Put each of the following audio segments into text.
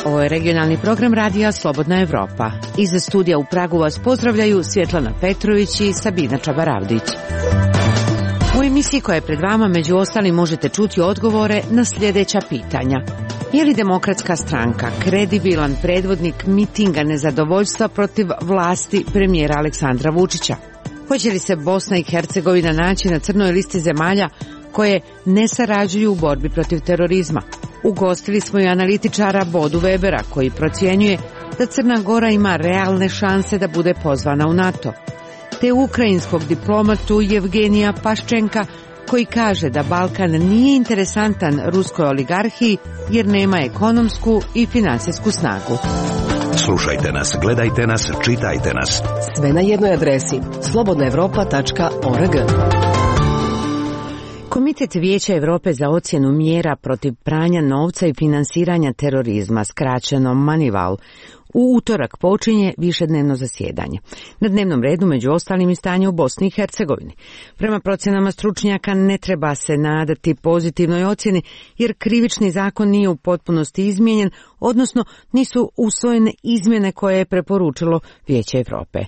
Ovo je regionalni program radija Slobodna Evropa. Iz studija u Pragu vas pozdravljaju Svjetlana Petrović i Sabina Čabaravdić. U emisiji koja je pred vama među ostalim možete čuti odgovore na sljedeća pitanja. Je li Demokratska stranka kredibilan predvodnik mitinga nezadovoljstva protiv vlasti premijera Aleksandra Vučića? Hoće li se Bosna i Hercegovina naći na crnoj listi zemalja koje ne sarađuju u borbi protiv terorizma? Ugostili smo i analitičara Bodu Webera koji procjenjuje da Crna Gora ima realne šanse da bude pozvana u NATO, te ukrajinskog diplomatu Jevgenija Paščenka koji kaže da Balkan nije interesantan ruskoj oligarhiji jer nema ekonomsku i finansijsku snagu. Slušajte nas, gledajte nas, čitajte nas. Sve na jednoj adresi slobodnaevropa.org. Komitet Vijeća Europe za ocjenu mjera protiv pranja novca i finansiranja terorizma, skraćeno MONEYVAL, u utorak počinje višednevno zasjedanje. Na dnevnom redu među ostalim i stanje u Bosni i Hercegovini. Prema procjenama stručnjaka ne treba se nadati pozitivnoj ocjeni jer krivični zakon nije u potpunosti izmijenjen, odnosno nisu usvojene izmjene koje je preporučilo Vijeće Europe.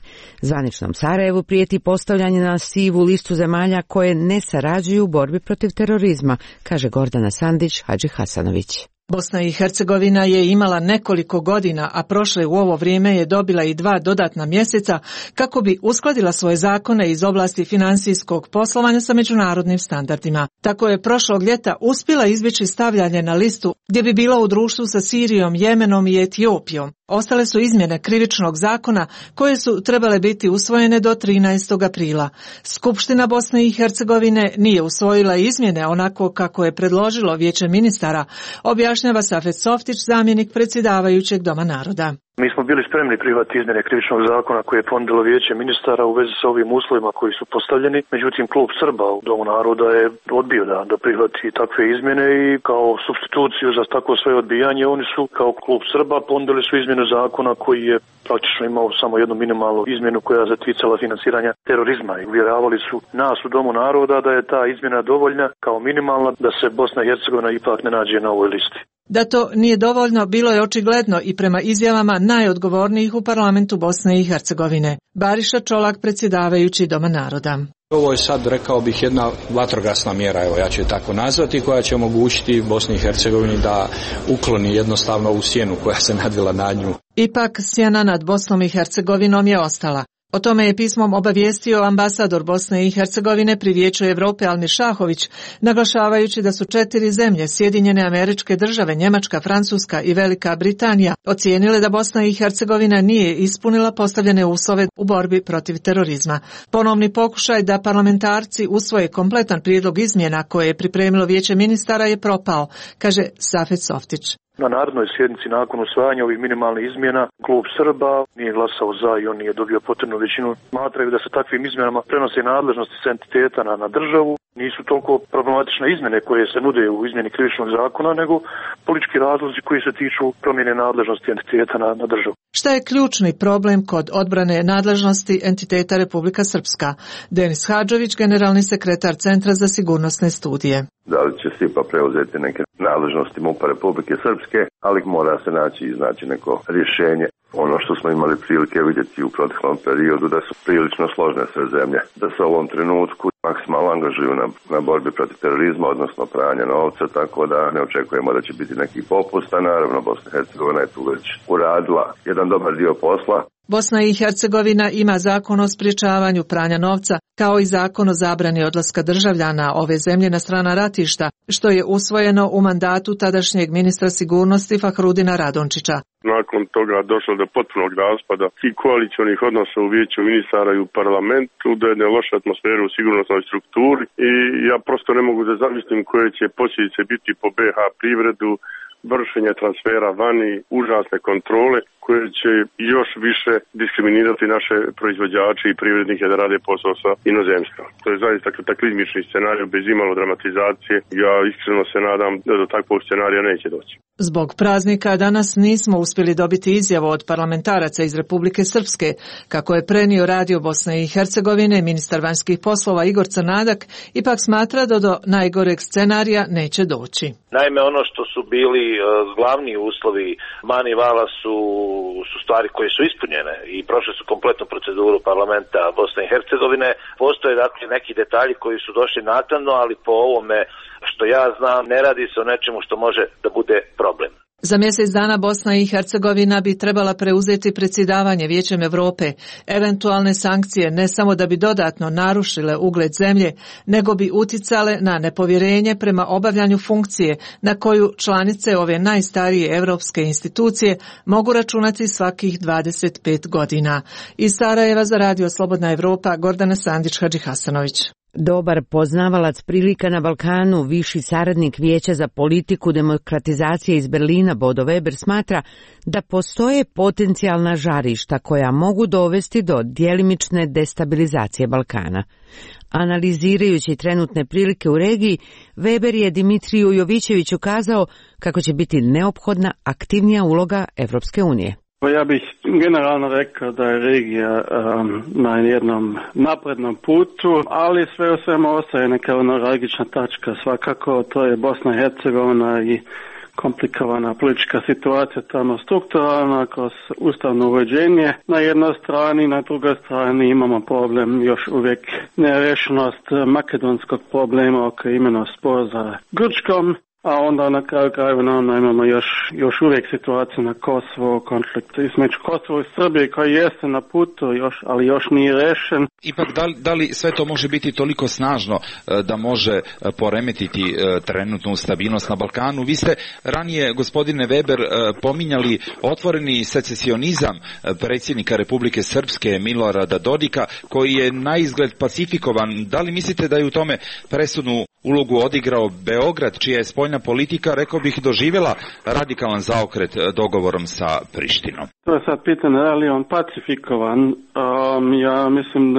Zvaničnom Sarajevu prijeti postavljanje na sivu listu zemalja koje ne sarađuju u borbi protiv terorizma, kaže Gordana Sandić Hadžihasanović. Bosna i Hercegovina je imala nekoliko godina, a prošle u ovo vrijeme je dobila i 2 dodatna mjeseca kako bi uskladila svoje zakone iz oblasti financijskog poslovanja sa međunarodnim standardima. Tako je prošlog ljeta uspjela izbjeći stavljanje na listu gdje bi bila u društvu sa Sirijom, Jemenom i Etiopijom. Ostale su izmjene krivičnog zakona koje su trebale biti usvojene do 13. aprila. Skupština Bosne i Hercegovine nije usvojila izmjene onako kako je predložilo Vijeće ministara, objašnjava Safet Softić, zamjenik predsjedavajućeg Doma naroda. Mi smo bili spremni prihvatiti izmjene krivičnog zakona koje je ponudilo Vijeće ministara u vezi sa ovim uslovima koji su postavljeni. Međutim, klub Srba u Domu naroda je odbio da prihvati takve izmjene i kao supstituciju za takvo svoje odbijanje oni su kao klub Srba ponudili su izmjenu zakona koji je praktično imao samo jednu minimalnu izmjenu koja se ticala finansiranja terorizma i uvjeravali su nas u Domu naroda da je ta izmjena dovoljna kao minimalna da se Bosna i Hercegovina ipak ne nađe na ovoj listi. Da to nije dovoljno bilo je očigledno i prema izjavama najodgovornijih u parlamentu Bosne i Hercegovine. Bariša Čolak, predsjedavajući Doma naroda. Ovo je sad, rekao bih, jedna vatrogasna mjera, evo ja ću je tako nazvati, koja će omogućiti Bosni i Hercegovini da ukloni jednostavno ovu sjenu koja se nadvila nad nju. Ipak sjena nad Bosnom i Hercegovinom je ostala. O tome je pismom obavijestio ambasador Bosne i Hercegovine pri Vijeću Europe Almir Šahović, naglašavajući da su 4 zemlje, Sjedinjene Američke Države, Njemačka, Francuska i Velika Britanija, ocijenile da Bosna i Hercegovina nije ispunila postavljene uslove u borbi protiv terorizma. Ponovni pokušaj da parlamentarci usvoje kompletan prijedlog izmjena koje je pripremilo Vijeće ministara je propao, kaže Safet Softić. Na narodnoj sjednici nakon usvajanja ovih minimalnih izmjena klub Srba nije glasao za i on nije dobio potrebnu većinu. Smatraju da se takvim izmjenama prenose nadležnosti s entiteta na državu. Nisu toliko problematične izmjene koje se nude u izmjeni krivičnog zakona, nego politički razlozi koji se tiču promjene nadležnosti entiteta na državu. Šta je ključni problem kod odbrane nadležnosti entiteta Republika Srpska? Denis Hadžović, generalni sekretar Centra za sigurnosne studije. Da li će SIPA preuzeti neke nadležnosti MUP-a Republike Srpske, ali mora se naći neko rješenje. Ono što smo imali prilike vidjeti u proteklom periodu da su prilično složne sve zemlje, da se u ovom trenutku maksimalno angažuju na borbi protiv terorizma, odnosno pranja novca, tako da ne očekujemo da će biti neki popusta. Naravno, Bosna i Hercegovina je tu već uradila jedan dobar dio posla. Bosna i Hercegovina ima zakon o sprječavanju pranja novca, kao i zakon o zabrani odlaska državljana ove zemlje na strana ratišta, što je usvojeno u mandatu tadašnjeg ministra sigurnosti Fahrudina Radončića. Nakon toga došlo do potpunog raspada i koalicionih odnosa u Vijeću ministara i u parlamentu, do jedne loše atmosfere u sigurnosnoj strukturi i ja prosto ne mogu da zamislim koje će posljedice biti po BiH privredu, vršenja transfera vani, užasne kontrole koje će još više diskriminirati naše proizvođače i privrednike da rade posao sa inozemstvom. To je zaista kataklizmični scenarij bez imalo dramatizacije. Ja iskreno se nadam da do takvog scenarija neće doći. Zbog praznika danas nismo uspjeli dobiti izjavu od parlamentaraca iz Republike Srpske, kako je prenio Radio Bosne i Hercegovine. Ministar vanjskih poslova Igor Crnadak ipak smatra da do najgoreg scenarija neće doći. Naime, ono što su bili glavni uslovi Manivala su stvari koje su ispunjene i prošle su kompletnu proceduru parlamenta Bosne i Hercegovine. Postoje dakle neki detalji koji su došli naknadno, ali po ovome što ja znam ne radi se o nečemu što može da bude problem. Za mjesec dana Bosna i Hercegovina bi trebala preuzeti predsjedavanje Vijećem Europe. Eventualne sankcije ne samo da bi dodatno narušile ugled zemlje, nego bi uticale na nepovjerenje prema obavljanju funkcije na koju članice ove najstarije europske institucije mogu računati svakih 25 godina. Iz Sarajeva za Radio Slobodna Evropa, Gordana Sandić-Hadžihasanović. Dobar poznavalac prilika na Balkanu, viši saradnik Vijeća za politiku demokratizacije iz Berlina Bodo Weber smatra da postoje potencijalna žarišta koja mogu dovesti do djelimične destabilizacije Balkana. Analizirajući trenutne prilike u regiji, Weber je Dimitriju Jovićeviću kazao kako će biti neophodna aktivnija uloga Evropske unije. Ja bih generalno rekao da je regija na jednom naprednom putu, ali sve u svemu ostaje neka neuralgična tačka. Svakako to je Bosna i Hercegovina i komplikovana politička situacija tamo strukturalna kroz ustavno uređenje. Na jednoj strani, na drugoj strani imamo problem još uvijek nerešenost makedonskog problema oko imena spor za Grčkom. A onda na kraju krajeva imamo još uvijek situaciju na Kosovo, konflikt između Kosovo i Srbije koji jeste na putu, ali još nije rešen. Ipak, da li sve to može biti toliko snažno da može poremetiti trenutnu stabilnost na Balkanu? Vi ste ranije, gospodine Weber, pominjali otvoreni secesionizam predsjednika Republike Srpske Milorada Dodika, koji je na izgled pacifikovan. Da li mislite da je u tome presudnu ulogu odigrao Beograd, čija je spoljna politika, rekao bih, doživjela radikalan zaokret dogovorom sa Prištinom? To je sad pitanje, da li je on pacifikovan. Ja mislim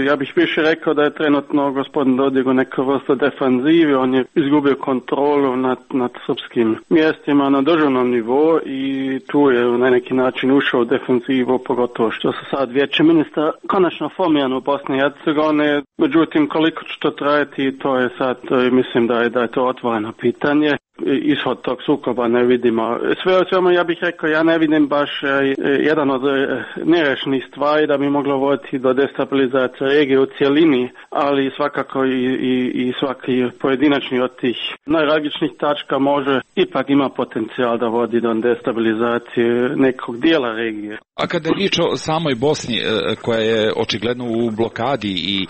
ja bih više rekao da je trenutno gospodin Dodik u nekoj vrsti defanzivi. On je izgubio kontrolu nad srpskim mjestima na državnom nivou i tu je na neki način ušao u defanzivu, pogotovo što se sad Vijeće ministra konačno formirano u Bosni i Hercegovini. Međutim, koliko će to trajati, to je sad, mislim da je to otvoreno pitanje. Ishod tog sukoba ne vidimo. Sve o svemu ja bih rekao, ja ne vidim baš jedan od nerešenih stvari da bi moglo voditi do destabilizacije regije u cjelini, ali svakako i svaki pojedinačni od tih najtragičnijih tačka može ipak ima potencijal da vodi do destabilizacije nekog dijela regije. A kada je riječ o samoj Bosni, koja je očigledno u blokadi i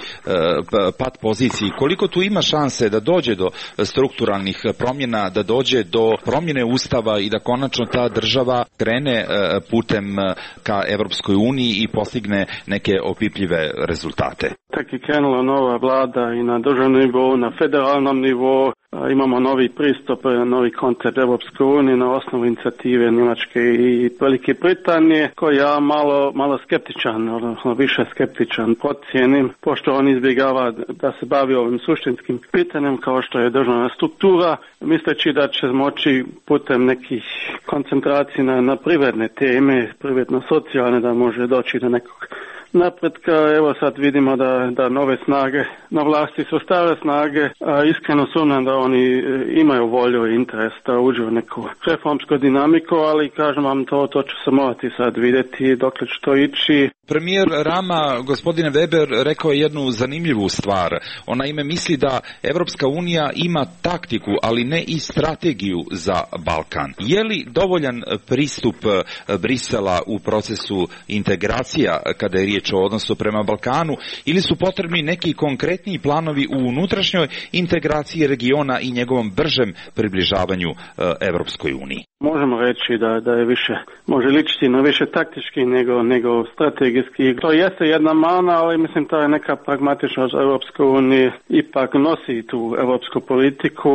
pad poziciji, koliko tu ima šanse da dođe do strukturalnih promjena, da dođe do promjene ustava i da konačno ta država krene putem ka Evropskoj uniji i postigne neke opipljive rezultate? Tak je krenula nova vlada i na državnom nivou, na federalnom nivou. Imamo novi pristup, novi koncept Evropske unije na osnovu inicijative Njemačke i Velike Britanije, koji ja malo skeptičan, odnosno više skeptičan procijenim, pošto on izbjegava da se bavi ovim suštinskim pitanjem kao što je državna struktura, misleći da će moći putem nekih koncentracija na privredne teme, privredno-socijalne, da može doći do nekog napretka. Evo sad vidimo da nove snage na vlasti su stare snage, iskreno sumnjam da oni imaju volju i interes da uđu u neku reformsku dinamiku, ali kažem vam to će se morati sad vidjeti dokle će to ići. Premijer Rama, gospodine Weber, rekao je jednu zanimljivu stvar. Ona ime misli da Evropska unija ima taktiku, ali ne i strategiju za Balkan. Je li dovoljan pristup Brisela u procesu integracija kada je riječ riječ o odnosu prema Balkanu ili su potrebni neki konkretniji planovi u unutrašnjoj integraciji regiona i njegovom bržem približavanju Evropskoj uniji? Možemo reći da je više, može ličiti na više taktički nego strategijski. To jeste jedna mana, ali mislim to je neka pragmatičnost Europske unije ipak nosi tu europsku politiku.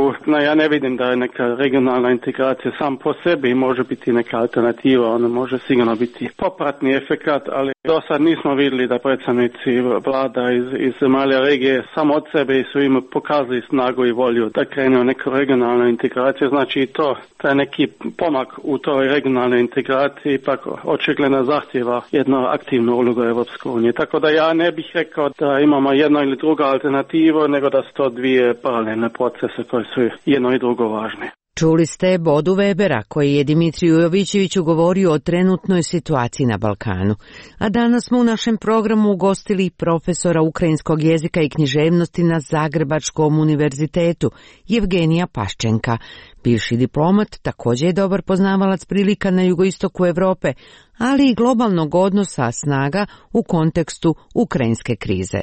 Ja ne vidim da je neka regionalna integracija sam po sebi može biti neka alternativa, ona može sigurno biti popratni efekat, ali do sad nismo vidjeli da predstavnici vlada iz zemalja regije samo od sebe su im pokazali snagu i volju da krenu u neku regionalnu integraciju, znači to je neki pomak u toj regionalnoj integraciji ipak očigledno zahtjeva jednu aktivnu ulogu Europske unije. Tako da ja ne bih rekao da imamo jedno ili drugo alternativu, nego da su to dvije paralelne procese koje su jedno i drugo važne. Čuli ste Bodu Webera koji je Dimitriju Jovićeviću govorio o trenutnoj situaciji na Balkanu. A danas smo u našem programu ugostili profesora ukrajinskog jezika i književnosti na Zagrebačkom univerzitetu Jevgenija Paščenka. Bivši diplomat također je dobar poznavalac prilika na jugoistoku Europe, ali i globalnog odnosa snaga u kontekstu ukrajinske krize.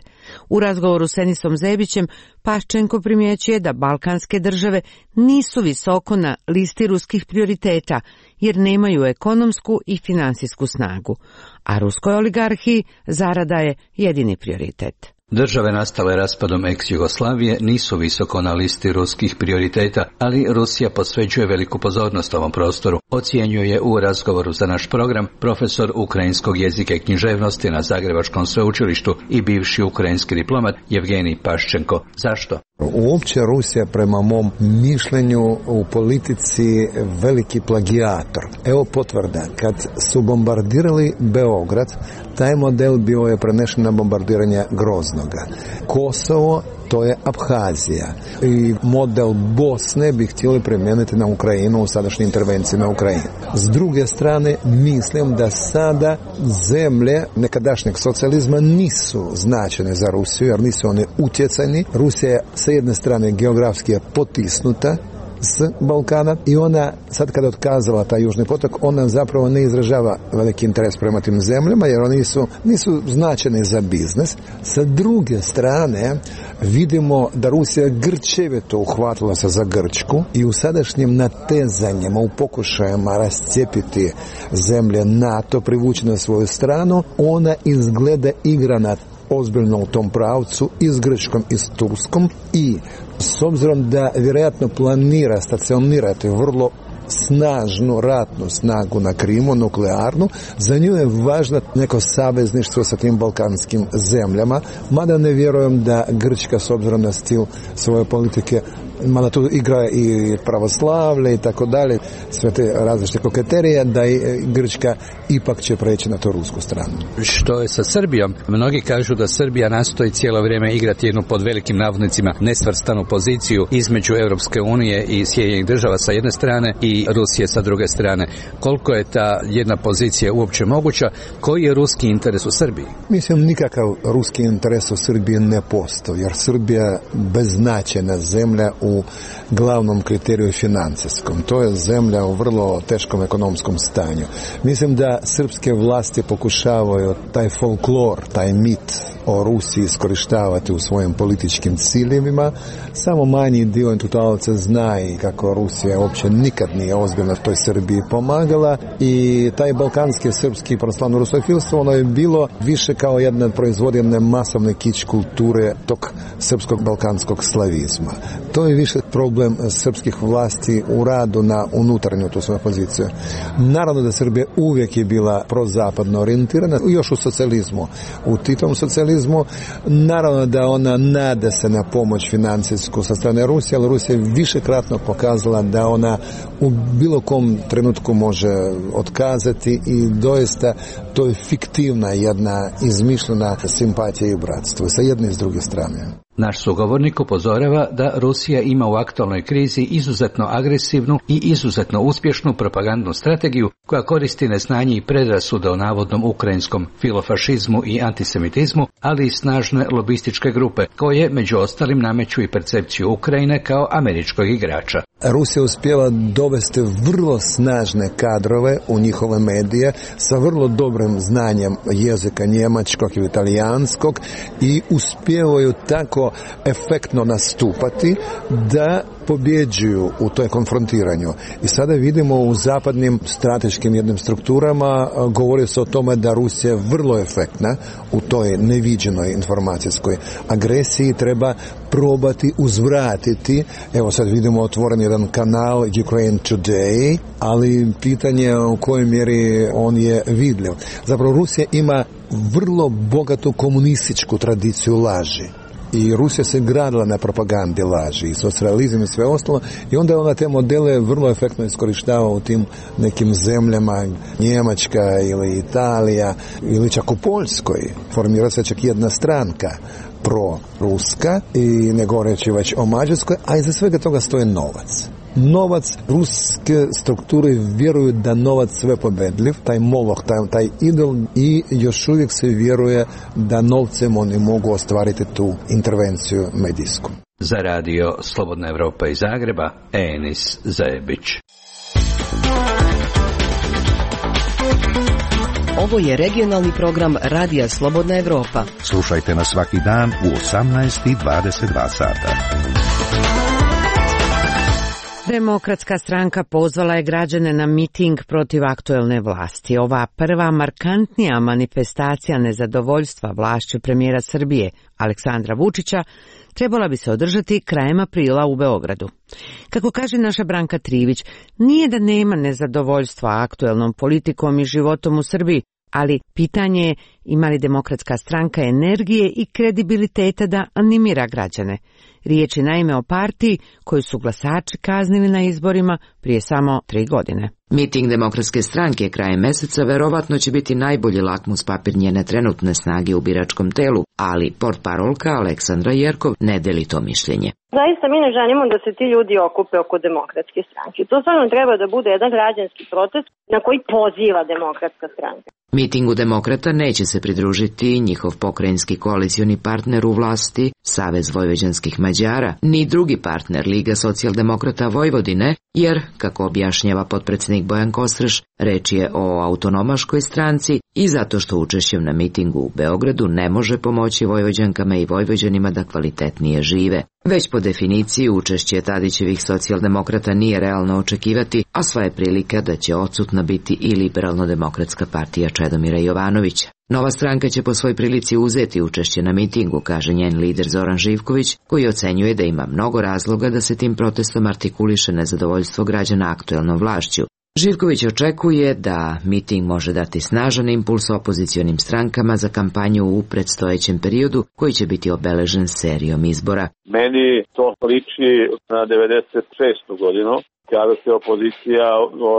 U razgovoru s Enisom Zebićem Paščenko primjećuje da balkanske države nisu visoko na listi ruskih prioriteta jer nemaju ekonomsku i financijsku snagu, a ruskoj oligarhiji zarada je jedini prioritet. Države nastale raspadom ex-Jugoslavije nisu visoko na listi ruskih prioriteta, ali Rusija posvećuje veliku pozornost ovom prostoru, ocjenjuje u razgovoru za naš program profesor ukrajinskog jezika i književnosti na Zagrebačkom sveučilištu i bivši ukrajinski diplomat Jevgenij Paščenko. Zašto? Uopće Rusija prema mom mišljenju u politici veliki plagijator. Evo potvrda, kad su bombardirali Beograd, taj model bio je prenešen na bombardiranje Groznoga. Kosovo, to je Abhazija. I model Bosne bi htjeli primijeniti na Ukrajinu u sadašnjoj intervenciji na Ukrajinu. S druge strane, mislim da sada zemlje nekadašnjeg socijalizma nisu značajne za Rusiju, jer nisu one utjecajni. Rusija je sa jedne strane geografski je potisnuta s Balkana i ona, sad kada otkazala taj južni potok, ona zapravo ne izražava veliki interes prema tim zemljama jer oni nisu značajni za biznis. Sa druge strane vidimo da Rusija grčevito uhvatila se za Grčku i u sadašnjim natezanjima, u pokušajima rascijepiti zemlje NATO, privući na svoju stranu, ona izgleda igrana ozbiljno u tom pravcu i s Grčkom i s Turskom i s obzirom da vjerojatno planira stacionirati vrlo snažnu ratnu snagu na Krimu, nuklearnu, za nju je važno neko savezništvo sa tim balkanskim zemljama, mada ne vjerujem da Grčka s obzirom na stil svoje politike, mada tu igra i pravoslavlje i tako dalje, sve te različite koketerije, da i Grčka ipak će preći na to rusku stranu. Što je sa Srbijom? Mnogi kažu da Srbija nastoji cijelo vrijeme igrati jednu pod velikim navodnicima nesvrstanu poziciju između Europske unije i Sjedinjenih država sa jedne strane i Rusije sa druge strane. Koliko je ta jedna pozicija uopće moguća? Koji je ruski interes u Srbiji? Mislim, nikakav ruski interes u Srbiji ne postoji, jer Srbija je beznačajna zemlja u glavnom kriteriju financijskom. To je zemlja u vrlo teškom ekonomskom stanju. Mislim da srpske vlasti pokušavaju taj folklor, taj mit o Rusiji iskorištavati u svojim političkim ciljevima. Samo manji dio intelektualaca zna i kako Rusija uopće nikad nije ozbiljno toj Srbiji pomagala i taj balkanski srpski pravoslavno rusofilstvo, ono je bilo više kao jedna proizvodnja masovne kič kulture tog srpskog balkanskog slavizma. To je više problem srpskih vlasti u radu na unutarnju tu svoju poziciju. Naravno da Srbija uvijek je bila prozapadno orijentirana, još u socijalizmu, u Titovom socijalizmu. Naravno da ona nada se na pomoć financijsku sa strane Rusije, ali Rusija je višekratno pokazala da ona u bilo kom trenutku može otkazati i doista to je fiktivna jedna izmišljena simpatija i bratstvo sa jedne i s druge strane. Naš sugovornik upozorava da Rusija ima u aktualnoj krizi izuzetno agresivnu i izuzetno uspješnu propagandnu strategiju koja koristi neznanje i predrasude o navodnom ukrajinskom filofašizmu i antisemitizmu, ali i snažne lobističke grupe koje među ostalim nameću i percepciju Ukrajine kao američkog igrača. Rusija uspjeva dovesti vrlo snažne kadrove u njihove medije sa vrlo dobrim znanjem jezika njemačkog ili italijanskog i uspijevaju tako efektno nastupati da pobjeđuju u toj konfrontiranju. I sada vidimo u zapadnim strateškim jednim strukturama govori se o tome da Rusija je vrlo efektna u toj neviđenoj informacijskoj agresiji, treba probati uzvratiti. Evo sad vidimo otvoren jedan kanal Ukraine Today, ali pitanje u kojoj mjeri on je vidljiv. Zapravo Rusija ima vrlo bogatu komunističku tradiciju laži. I Rusija se gradila na propagandi laži i socijalizam i sve ostalo i onda ona te modele vrlo efektno iskorištava u tim nekim zemljama, Njemačka ili Italija ili čak u Poljskoj. Formira se čak jedna stranka pro-ruska i ne govoreći već o Mađarskoj, a iza svega toga stoji novac. Novac, ruske strukture vjeruju da novac sve pobedljiv, taj moloh, taj idol i još uvijek se vjeruje da novcem oni mogu ostvariti tu intervenciju medijsku. Za radio Slobodna Evropa iz Zagreba, Enis Zajebić. Ovo je regionalni program Radija Slobodna Evropa. Slušajte nas svaki dan u 18:22 sata. Demokratska stranka pozvala je građane na miting protiv aktuelne vlasti. Ova prva markantnija manifestacija nezadovoljstva vlašću premijera Srbije Aleksandra Vučića trebala bi se održati krajem aprila u Beogradu. Kako kaže naša Branka Trivić, nije da nema nezadovoljstva aktuelnom politikom i životom u Srbiji, ali pitanje je ima li demokratska stranka energije i kredibiliteta da animira građane. Riječ je naime o partiji koju su glasači kaznili na izborima prije samo 3 godine. Miting Demokratske stranke krajem mjeseca verovatno će biti najbolji lakmus papir njene trenutne snage u biračkom telu, ali portparolka Aleksandra Jerkov ne deli to mišljenje. Zaista mi ne želimo da se ti ljudi okupe oko Demokratske stranke. To stvarno treba da bude jedan građanski protest na koji poziva Demokratska stranka. Mitingu demokrata neće se pridružiti njihov pokrajinski koalicioni partner u vlasti, Savez vojvođanskih Mađara, ni drugi partner Liga socijaldemokrata Vojvodine, jer, kako objašnjava potpredsjednik Bojan Kostreš, reč je o autonomaškoj stranci i zato što učešćem na mitingu u Beogradu ne može pomoći Vojvođankama i Vojvođanima da kvalitetnije žive. Već po definiciji učešće Tadićevih socijaldemokrata nije realno očekivati, a sva je prilika da će odsutna biti i liberalno-demokratska partija Čedomira Jovanovića. Nova stranka će po svoj prilici uzeti učešće na mitingu, kaže njen lider Zoran Živković, koji ocenjuje da ima mnogo razloga da se tim protestom artikuliše nezadovoljstvo građana aktuelnom vlašću. Živković očekuje da miting može dati snažan impuls opozicionim strankama za kampanju u predstojećem periodu koji će biti obeležen serijom izbora. Meni to liči na 96. godinu, kada se opozicija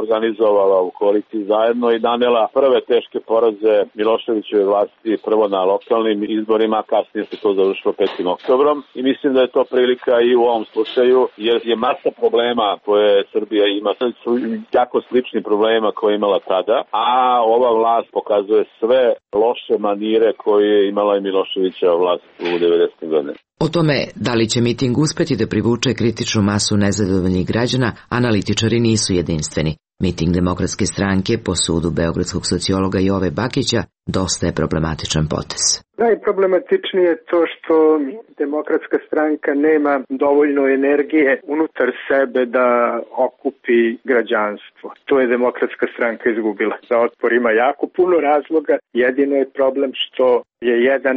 organizovala u koaliciji zajedno i nanela prve teške poraze Miloševićeve vlasti, prvo na lokalnim izborima, kasnije se to završilo 5. oktobrom i mislim da je to prilika i u ovom slučaju, jer je masa problema koje Srbija ima, su jako slični problema koje je imala tada, a ova vlast pokazuje sve loše manire koje je imala i Miloševićeva vlast u 90. godine. O tome da li će miting uspjeti da privuče kritičnu masu nezadovoljnih građana, analitičari nisu jedinstveni. Miting Demokratske stranke, po sudu beogradskog sociologa Jove Bakića, dosta je problematičan potez. Najproblematičnije je to što Demokratska stranka nema dovoljno energije unutar sebe da okupi građanstvo. To je Demokratska stranka izgubila. Za otpor ima jako puno razloga. Jedino je problem što je jedan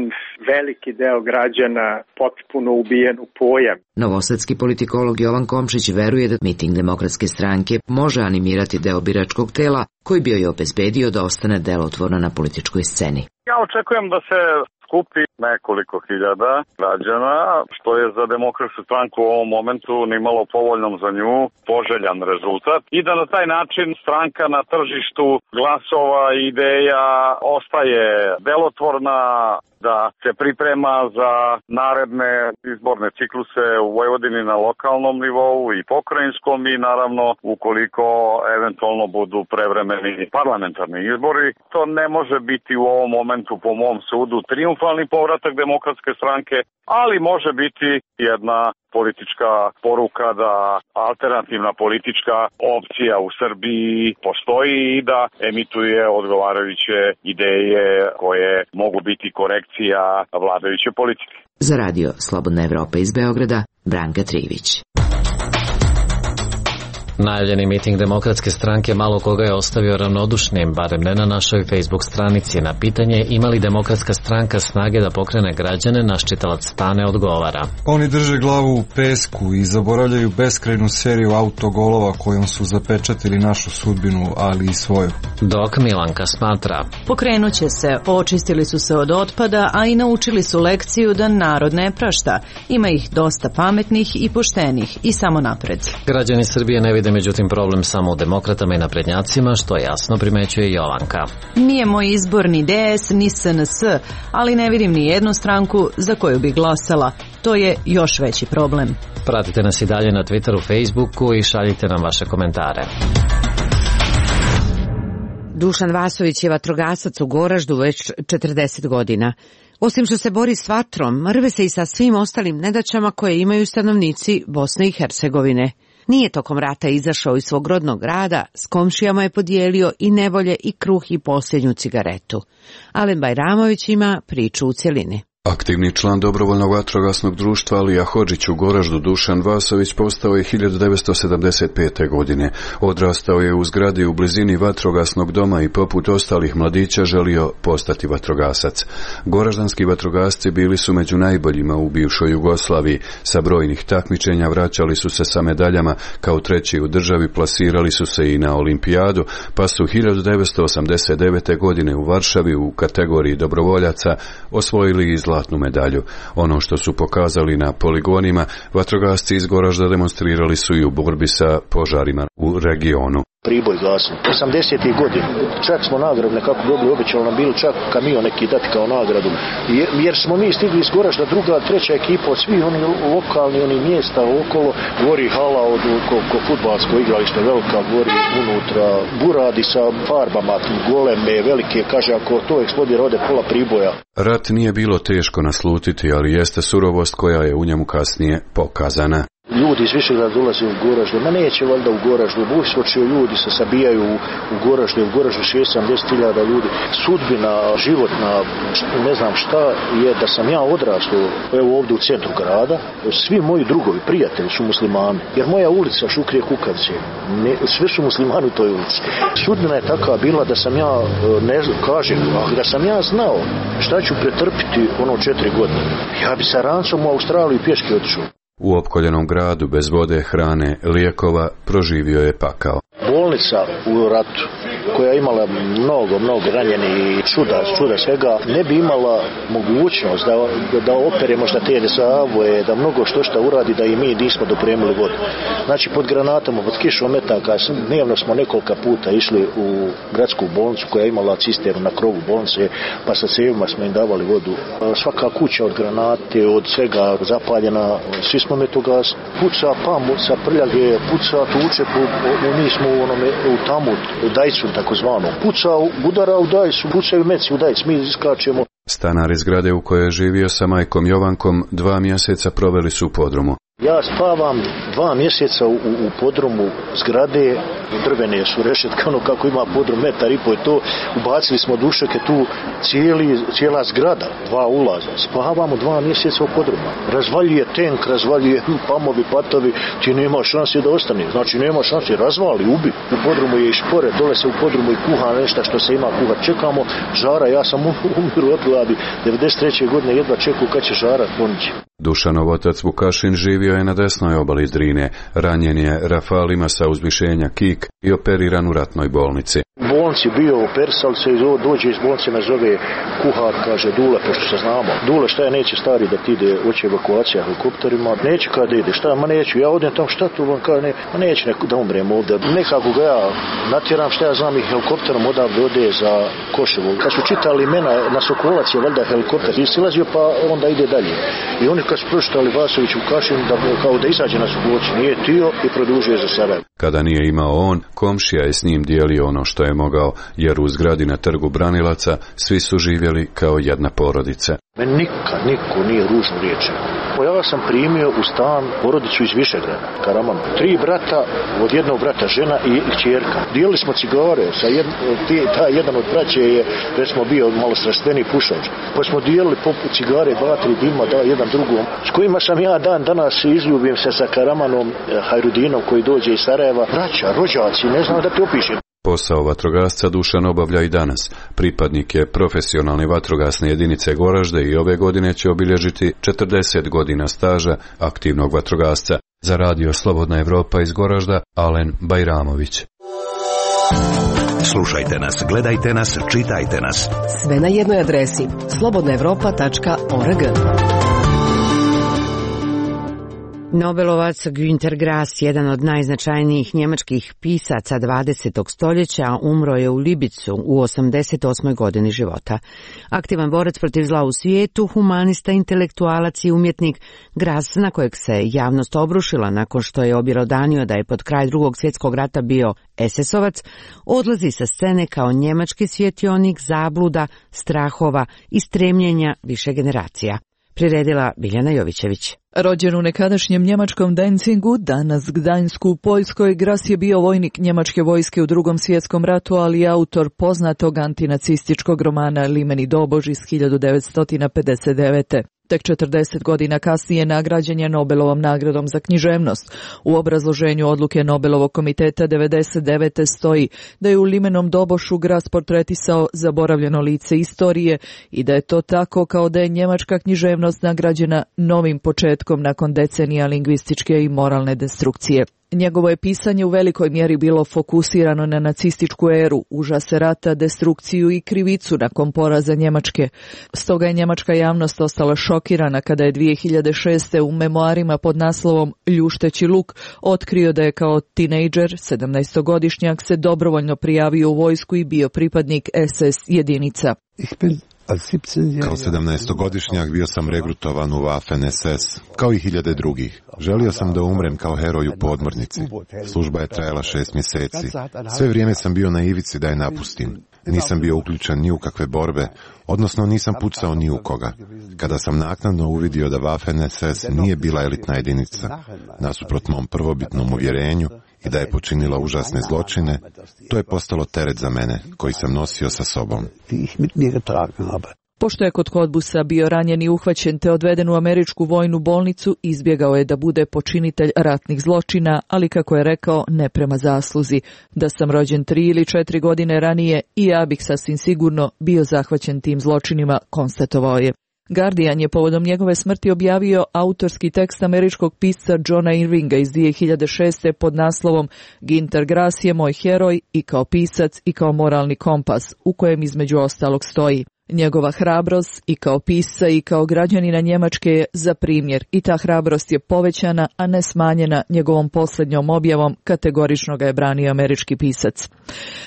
veliki deo građana potpuno ubijen u pojam. Novosadski politikolog Jovan Komšić veruje da miting Demokratske stranke može animirati deo biračkog tela koji bi joj obezbedio da ostane delotvorna na političkoj sceni. Ja očekujem da se skupi nekoliko hiljada građana, što je za Demokratsku stranku u ovom momentu nimalo povoljnom za nju poželjan rezultat i da na taj način stranka na tržištu glasova i ideja ostaje delotvorna, da se priprema za naredne izborne cikluse u Vojvodini na lokalnom nivou i pokrajinskom i naravno ukoliko eventualno budu prevremeni parlamentarni izbori. To ne može biti u ovom momentu po mom sudu triumfalni povratak Demokratske stranke, ali može biti jedna politička poruka da alternativna politička opcija u Srbiji postoji i da emituje odgovarajuće ideje koje mogu biti korekcija vladajuće politike. Za radio Slobodna Evropa iz Beograda, Branka Trivić. Najavljeni miting Demokratske stranke malo koga je ostavio ravnodušnim, barem ne na našoj Facebook stranici. Na pitanje ima li Demokratska stranka snage da pokrene građane, naš čitalac Stane odgovara. Oni drže glavu u pesku i zaboravljaju beskrajnu seriju autogolova kojom su zapečatili našu sudbinu, ali i svoju. Dok Milanka smatra. Pokrenut će se, očistili su se od otpada, a i naučili su lekciju da narod ne prašta. Ima ih dosta pametnih i poštenih i samo napred. Građani Srbije ne vide međutim problem samo u demokratama i naprednjacima, što jasno primećuje Jovanka. Nije moj izbor ni DS ni SNS, ali ne vidim ni jednu stranku za koju bi glasala. To je još veći problem. Pratite nas i dalje na Twitteru, Facebooku i šaljite nam vaše komentare. Dušan Vasović je vatrogasac u Goraždu već 40 godina. Osim što se bori s vatrom, rve se i sa svim ostalim nedaćama koje imaju stanovnici Bosne i Hercegovine. Nije tokom rata izašao iz svog rodnog grada, s komšijama je podijelio i nevolje i kruh i posljednju cigaretu. Alen Bajramović ima priču u cjelini. Aktivni član dobrovoljnog vatrogasnog društva Alija Hodžić u Goraždu Dušan Vasović postao je 1975. godine. Odrastao je u zgradi u blizini vatrogasnog doma i poput ostalih mladića želio postati vatrogasac. Goraždanski vatrogasci bili su među najboljima u bivšoj Jugoslaviji. Sa brojnih takmičenja vraćali su se sa medaljama, kao treći u državi plasirali su se i na olimpijadu, pa su 1989. godine u Varšavi u kategoriji dobrovoljaca osvojili zlatnu medalju. Ono što su pokazali na poligonima, vatrogasci iz Goražda demonstrirali su i u borbi sa požarima u regionu. Priboj gasno. 80. godina. Čak smo nagradu nekako dobili, obećalo nam bilo čak kamion neki dati kao nagradu. Jer smo mi stigli iz Goražda, druga, treća ekipa od svih oni lokalni, oni mjesta okolo, gori hala od fudbalsko igralište, velika gori unutra, buradi sa farbama, goleme, velike, kaže ako to eksplodira ode pola Priboja. Rat nije bilo teško naslutiti, ali jeste surovost koja je u njemu kasnije pokazana. Ljudi iz Višegrada dolaze u Goraždu, ma neće valjda u Goraždu, Bujskočio ljudi se sabijaju u Goraždu, u Goraždu 60-70.000 ljudi. Sudbina, životna, ne znam šta je da sam ja odrastao, evo ovdje u centru grada, svi moji drugovi, prijatelji su muslimani, jer moja ulica Šukrije Kukavice, sve su muslimani u toj ulici. Sudbina je takva bila da sam ja, da sam ja znao šta ću pretrpiti ono 4 godine. Ja bi sa rancom u Australiju pješke otišao. U opkoljenom gradu bez vode, hrane, lijekova proživio je pakao. Bolnica u ratu koja je imala mnogo ranjeni i čuda svega, ne bi imala mogućnost da opere možda te desavoje, da mnogo što uradi da i mi nismo dopremili vodu. Znači pod granatama, pod kišom metaka, dnevno smo nekoliko puta išli u gradsku bolnicu koja je imala cisternu na krovu bolnice, pa sa cevima smo im davali vodu. Svaka kuća od granate, od svega zapaljena, svi smo metogas, puca pamu sa prljage, puca tuče, mi smo u tamu, u dajcu takozvano, puca, udara u dajcu, pucaju meci u dajcu, mi iskačemo. Stanari zgrade u kojoj je živio sa majkom Jovankom 2 mjeseca proveli su u podrumu. Ja spavam 2 mjeseca u podrumu zgrade, drvene su rešetke, ono kako ima podrum, 1,5 metar je to, ubacili smo dušeke tu, cijela zgrada, 2 ulaza, spavamo 2 mjeseca u podrumu. Razvaljuje tank, razvaljuje pamovi, patovi, ti nema šanse da ostane, znači nema šanse, razvali, ubi. U podrumu je i špore, dole se u podrumu i kuha nešto što se ima kuhat. Čekamo žara, ja sam umiru od gladi, 93. godine jedva čekao kad će žara ponići. Dušanov otac Vukašin živio je na desnoj obali Drine, ranjen je rafalima sa uzvišenja Kik i operiran u ratnoj bolnici. U bolnici bio operisali se i dođe iz bolnice, me zove kuhar, kaže Dule, pošto se znamo. Dule, šta je, neće stari da ti ide, hoće evakuacija helikopterima. Neće kada ide, šta, ma neću, ja odem tamo, šta tu, on kaže, ne, ma neće da umrem ovdje. Nekako ga ja natjeram, šta ja znam, i helikopterom odavde ode za Koševo. Kad su čitali imena na Sokolac je valjda helikopter silazio, pa onda ide dalje. I oni kad su pročitali Vasoviću Kašin, da kao da izađe na Sokolac, nije tio i produžuje za Sarajevo. Kada nije imao on, komšija je s njim dijelio ono što je mogao, jer u zgradi na Trgu Branilaca svi su živjeli kao jedna porodica. Meni nikad niko nije ružnu riječ. Ja sam primio u stan porodicu iz Višegrada, Karaman. 3 brata, od jednog brata žena i kćerka. Dijelili smo cigare, jedan od braće je, recimo, bio malo strastveni pušač. Pa smo dijelili poput cigare, 2-3 dima, jedan drugom. S kojima sam ja dan danas izljubim se sa Karamanom Hajrudinom koji dođe iz Sarajeva. Braća, rođaci, ne znam da ti opišem. Posao vatrogasca Dušan obavlja i danas. Pripadnik je profesionalne vatrogasne jedinice Goražde i ove godine će obilježiti 40 godina staža aktivnog vatrogasca. Za radio Slobodna Evropa iz Goražda, Alen Bajramović. Slušajte nas, gledajte nas, čitajte nas. Sve na jednoj adresi slobodnaevropa.org. Nobelovac Günter Grass, jedan od najznačajnijih njemačkih pisaca 20. stoljeća, umro je u Libicu u 88. godini života. Aktivan borac protiv zla u svijetu, humanista, intelektualac i umjetnik, Grass, na kojeg se javnost obrušila nakon što je objelodanio da je pod kraj Drugog svjetskog rata bio SS-ovac, odlazi sa scene kao njemački svjetionik zabluda, strahova i stremljenja više generacija. Priredila Biljana Jovićević. Rođen u nekadašnjem njemačkom Danzigu, danas Gdańsku u Poljskoj, Grass je bio vojnik njemačke vojske u Drugom svjetskom ratu, ali i autor poznatog antinacističkog romana Limeni Dobož iz 1959. Tek 40 godina kasnije nagrađen je Nobelovom nagradom za književnost. U obrazloženju odluke Nobelovog komiteta 99. stoji da je u Limenom Dobošu Grass portretisao zaboravljeno lice istorije i da je to tako kao da je njemačka književnost nagrađena novim početkom nakon decenija lingvističke i moralne destrukcije. Njegovo je pisanje u velikoj mjeri bilo fokusirano na nacističku eru, užase rata, destrukciju i krivicu nakon poraza Njemačke. Stoga je njemačka javnost ostala šokirana kada je 2006. u memoarima pod naslovom Ljušteći luk otkrio da je kao tinejdžer, 17-godišnjak, se dobrovoljno prijavio u vojsku i bio pripadnik SS jedinica. Kao 17-godišnjak bio sam regrutovan u Waffen SS, kao i hiljade drugih. Želio sam da umrem kao heroj u podmornici. Služba je trajala 6 mjeseci. Sve vrijeme sam bio na ivici da je napustim. Nisam bio uključen ni u kakve borbe, odnosno nisam pucao ni u koga. Kada sam naknadno uvidio da Waffen SS nije bila elitna jedinica, nasuprot mom prvobitnom uvjerenju, i da je počinila užasne zločine, to je postalo teret za mene, koji sam nosio sa sobom. Pošto je kod Kodbusa bio ranjen i uhvaćen te odveden u američku vojnu bolnicu, izbjegao je da bude počinitelj ratnih zločina, ali kako je rekao, ne prema zasluzi. Da sam rođen 3 ili 4 godine ranije i ja bih sasvim sigurno bio zahvaćen tim zločinima, konstatovao je. Guardian je povodom njegove smrti objavio autorski tekst američkog pisca Johna Irvinga iz 2006. pod naslovom Günter Grass je moj heroj i kao pisac i kao moralni kompas, u kojem između ostalog stoji: njegova hrabrost i kao pisca i kao građanina Njemačke je za primjer i ta hrabrost je povećana, a ne smanjena njegovom posljednjom objavom, kategorično ga je branio američki pisac.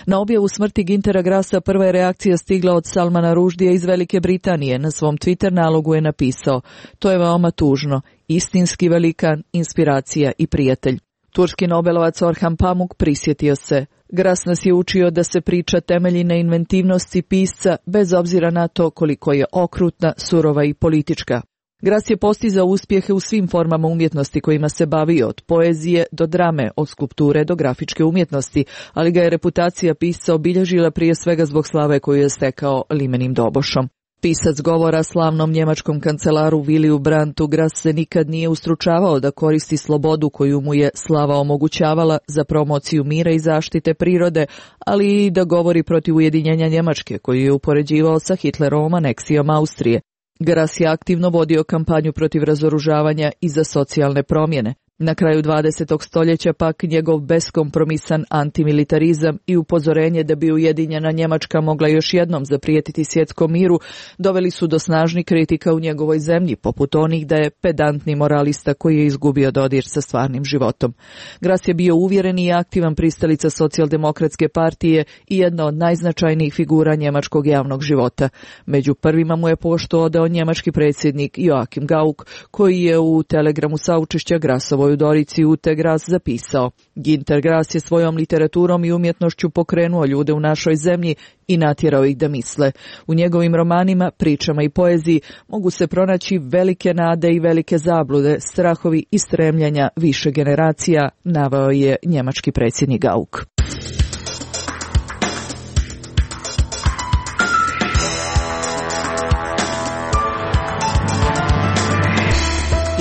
Na objavu smrti Güntera Grassa prva je reakcija stigla od Salmana Rushdija iz Velike Britanije. Na svom Twitter nalogu je napisao: to je veoma tužno, istinski velikan, inspiracija i prijatelj. Turski Nobelovac Orhan Pamuk prisjetio se: Grass nas je učio da se priča temelji na inventivnosti pisca bez obzira na to koliko je okrutna, surova i politička. Grass je postizao uspjehe u svim formama umjetnosti kojima se bavio, od poezije do drame, od skulpture do grafičke umjetnosti, ali ga je reputacija pisca obilježila prije svega zbog slave koju je stekao Limenim Dobošom. Pisac govora slavnom njemačkom kancelaru Williju Brandtu, Grass se nikad nije ustručavao da koristi slobodu koju mu je slava omogućavala za promociju mira i zaštite prirode, ali i da govori protiv ujedinjenja Njemačke koju je upoređivao sa Hitlerovom aneksijom Austrije. Grass je aktivno vodio kampanju protiv razoružavanja i za socijalne promjene. Na kraju 20. stoljeća pak njegov beskompromisan antimilitarizam i upozorenje da bi Ujedinjena Njemačka mogla još jednom zaprijetiti svjetskom miru doveli su do snažnih kritika u njegovoj zemlji, poput onih da je pedantni moralista koji je izgubio dodir sa stvarnim životom. Gras je bio uvjereni i aktivan pristalica socijaldemokratske partije i jedna od najznačajnijih figura njemačkog javnog života. Među prvima mu je poštu odao njemački predsjednik Joachim Gauck, koji je u telegramu saučešća Grasovoj u Dorici Ute Gras zapisao: Günter Grass je svojom literaturom i umjetnošću pokrenuo ljude u našoj zemlji i natjerao ih da misle. U njegovim romanima, pričama i poeziji mogu se pronaći velike nade i velike zablude, strahovi i stremljenja više generacija, naveo je njemački predsjednik Gauck.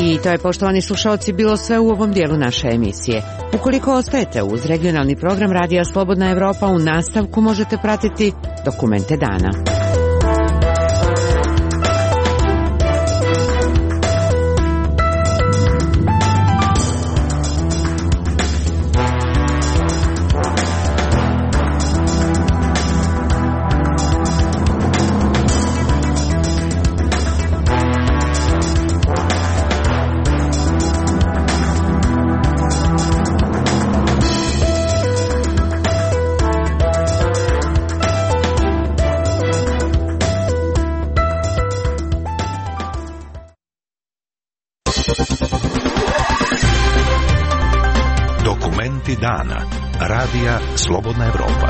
I to je, poštovani slušalci, bilo sve u ovom dijelu naše emisije. Ukoliko ostajete uz regionalni program Radija Slobodna Evropa, u nastavku možete pratiti Dokumente dana. Dokumenti dana. Radija Slobodna Evropa.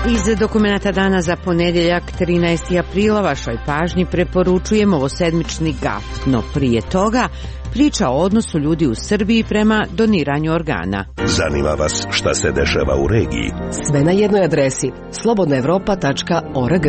Iz Dokumenta dana za ponedjeljak 13. aprila vašoj pažnji preporučujemo ovosedmični GAF, no prije toga priča o odnosu ljudi u Srbiji prema doniranju organa. Zanima vas šta se dešava u regiji? Sve na jednoj adresi slobodnaevropa.org.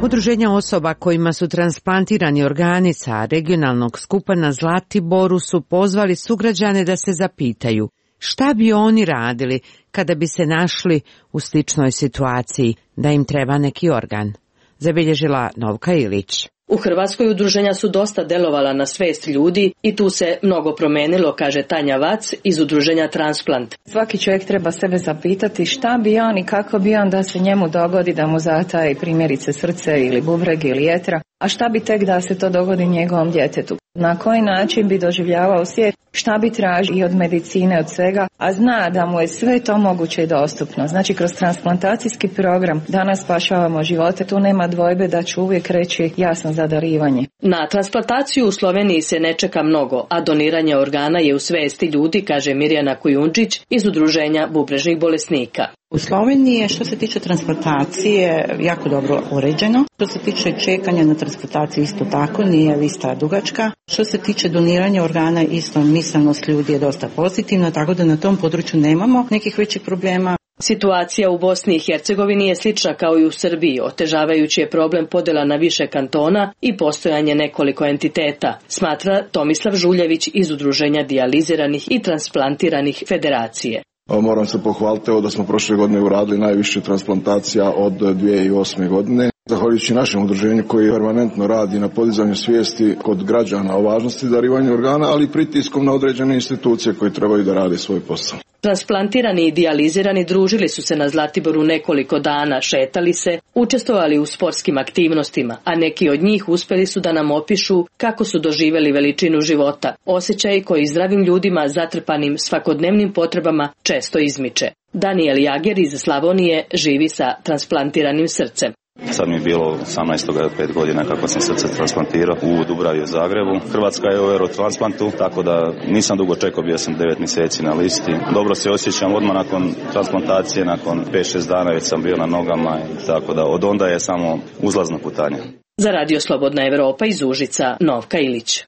Udruženja osoba kojima su transplantirani organi sa regionalnog skupa na Zlatiboru su pozvali sugrađane da se zapitaju šta bi oni radili kada bi se našli u sličnoj situaciji da im treba neki organ. Zabilježila Novka Ilić. U Hrvatskoj udruženja su dosta delovala na svest ljudi i tu se mnogo promenilo, kaže Tanja Vac iz udruženja Transplant. Svaki čovjek treba sebe zapitati šta bi on i kako bi on da se njemu dogodi da mu zataji primjerice srce ili bubreg ili jetra, a šta bi tek da se to dogodi njegovom djetetu. Na koji način bi doživljavao svijet, šta bi tražio i od medicine, od svega, a zna da mu je sve to moguće i dostupno. Znači, kroz transplantacijski program danas spašavamo živote, tu nema dvojbe da ću uvijek reći jasno za darivanje. Na transplantaciju u Sloveniji se ne čeka mnogo, a doniranje organa je u svesti ljudi, kaže Mirjana Kujundžić iz udruženja bubrežnih bolesnika. U Sloveniji je što se tiče transplantacije jako dobro uređeno. Što se tiče čekanja na transplantaciju isto tako, nije lista dugačka. Što se tiče doniranja organa isto misanost ljudi je dosta pozitivna, tako da na tom području nemamo nekih većih problema. Situacija u Bosni i Hercegovini je slična kao i u Srbiji, otežavajući je problem podjela na više kantona i postojanje nekoliko entiteta, smatra Tomislav Žuljević iz udruženja dijaliziranih i transplantiranih federacije. Moram se pohvaliti da smo prošle godine uradili najviše transplantacija od 2008. godine. Zahvaljujući našem udruženju koji permanentno radi na podizanju svijesti kod građana o važnosti darivanja organa, ali i pritiskom na određene institucije koje trebaju da rade svoj posao. Transplantirani i dijalizirani družili su se na Zlatiboru nekoliko dana, šetali se, učestvovali u sportskim aktivnostima, a neki od njih uspjeli su da nam opišu kako su doživjeli veličinu života, osjećaj koji zdravim ljudima zatrpanim svakodnevnim potrebama često izmiče. Daniel Jager iz Slavonije živi sa transplantiranim srcem. Sad mi je bilo 18. 5 godina kako sam srce transplantirao u Dubravi u Zagrebu. Hrvatska je u Eurotransplantu, tako da nisam dugo čekao, bio sam 9 mjeseci na listi. Dobro se osjećam odmah nakon transplantacije, nakon 5-6 dana već sam bio na nogama, tako da od onda je samo uzlazno putanje. Za Radio Slobodna Evropa iz Užica, Novka Ilić.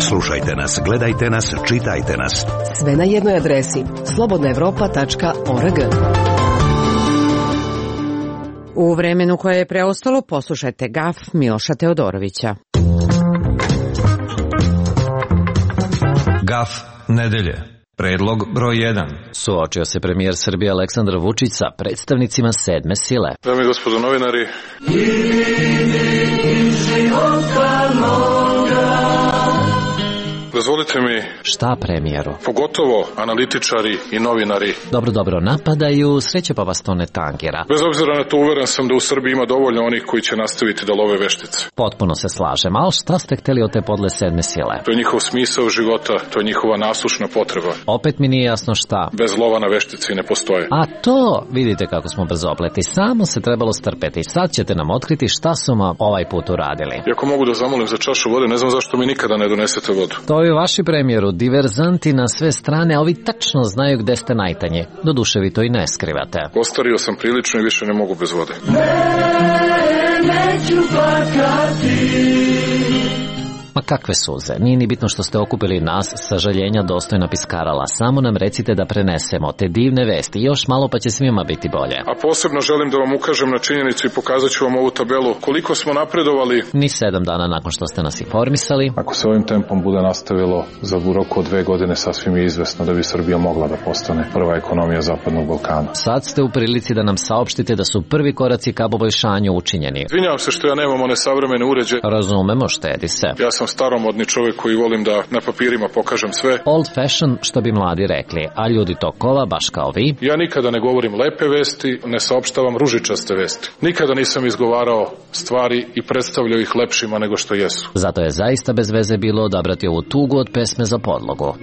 Slušajte nas, gledajte nas, čitajte nas. Sve na jednoj adresi slobodnaevropa.org. U vremenu koje je preostalo poslušajte GAF Miloša Teodorovića. GAF nedelje. Predlog broj 1. Suočio se premijer Srbije Aleksandar Vučić sa predstavnicima sedme sile. Dame i gospodo novinari. Dozvolite mi... Šta premijeru? Pogotovo analitičari i novinari. Dobro, napadaju, sreće pa vas to ne tangira. Bez obzira na to, uveren sam da u Srbiji ima dovoljno onih koji će nastaviti da love veštice. Potpuno se slažem, ali šta ste hteli od te podle sedme sile? To je njihov smisao života, to je njihova nasušna potreba. Opet mi nije jasno šta. Bez lova na veštici ne postoje. A to, vidite kako smo brzopleti, samo se trebalo strpeti. Sad ćete nam otkriti šta su vam ovaj put uradili. I ako mogu da zamolim za čašu vode, ne znam zašto mi nikada ne donesete vodu. To je vaši premijeru, diverzanti na sve strane, a ovi tačno znaju gde ste najtanje. Doduše vi to i ne skrivate. Ostario sam prilično i više ne mogu bez vode. Neću plakati. Ma kakve suze, nije ni bitno što ste okupili nas, sažaljenja dostojna piskarala, samo nam recite da prenesemo te divne vesti, još malo pa će svima biti bolje. A posebno želim da vam ukažem na činjenicu i pokazat ću vam ovu tabelu, koliko smo napredovali. Ni 7 dana nakon što ste nas informisali. Ako se ovim tempom bude nastavilo, za roku od 2 godine sasvim je izvesno da bi Srbija mogla da postane prva ekonomija Zapadnog Balkana. Sad ste u prilici da nam saopštite da su prvi koraci ka poboljšanju učinjeni. Izvinjavam se što ja nemam one savremene uređaje. Razumemo, štedi se. Ja sam staromodni čovjek koji volim da na papirima pokažem sve. Old fashion, što bi mladi rekli, a ljudi tokova, baš kao vi. Ja nikada ne govorim lepe vesti, ne saopštavam ružičaste vesti. Nikada nisam izgovarao stvari i predstavljao ih lepšima nego što jesu. Zato je zaista bez veze bilo odabrati ovu tugu od pesme za podlogu.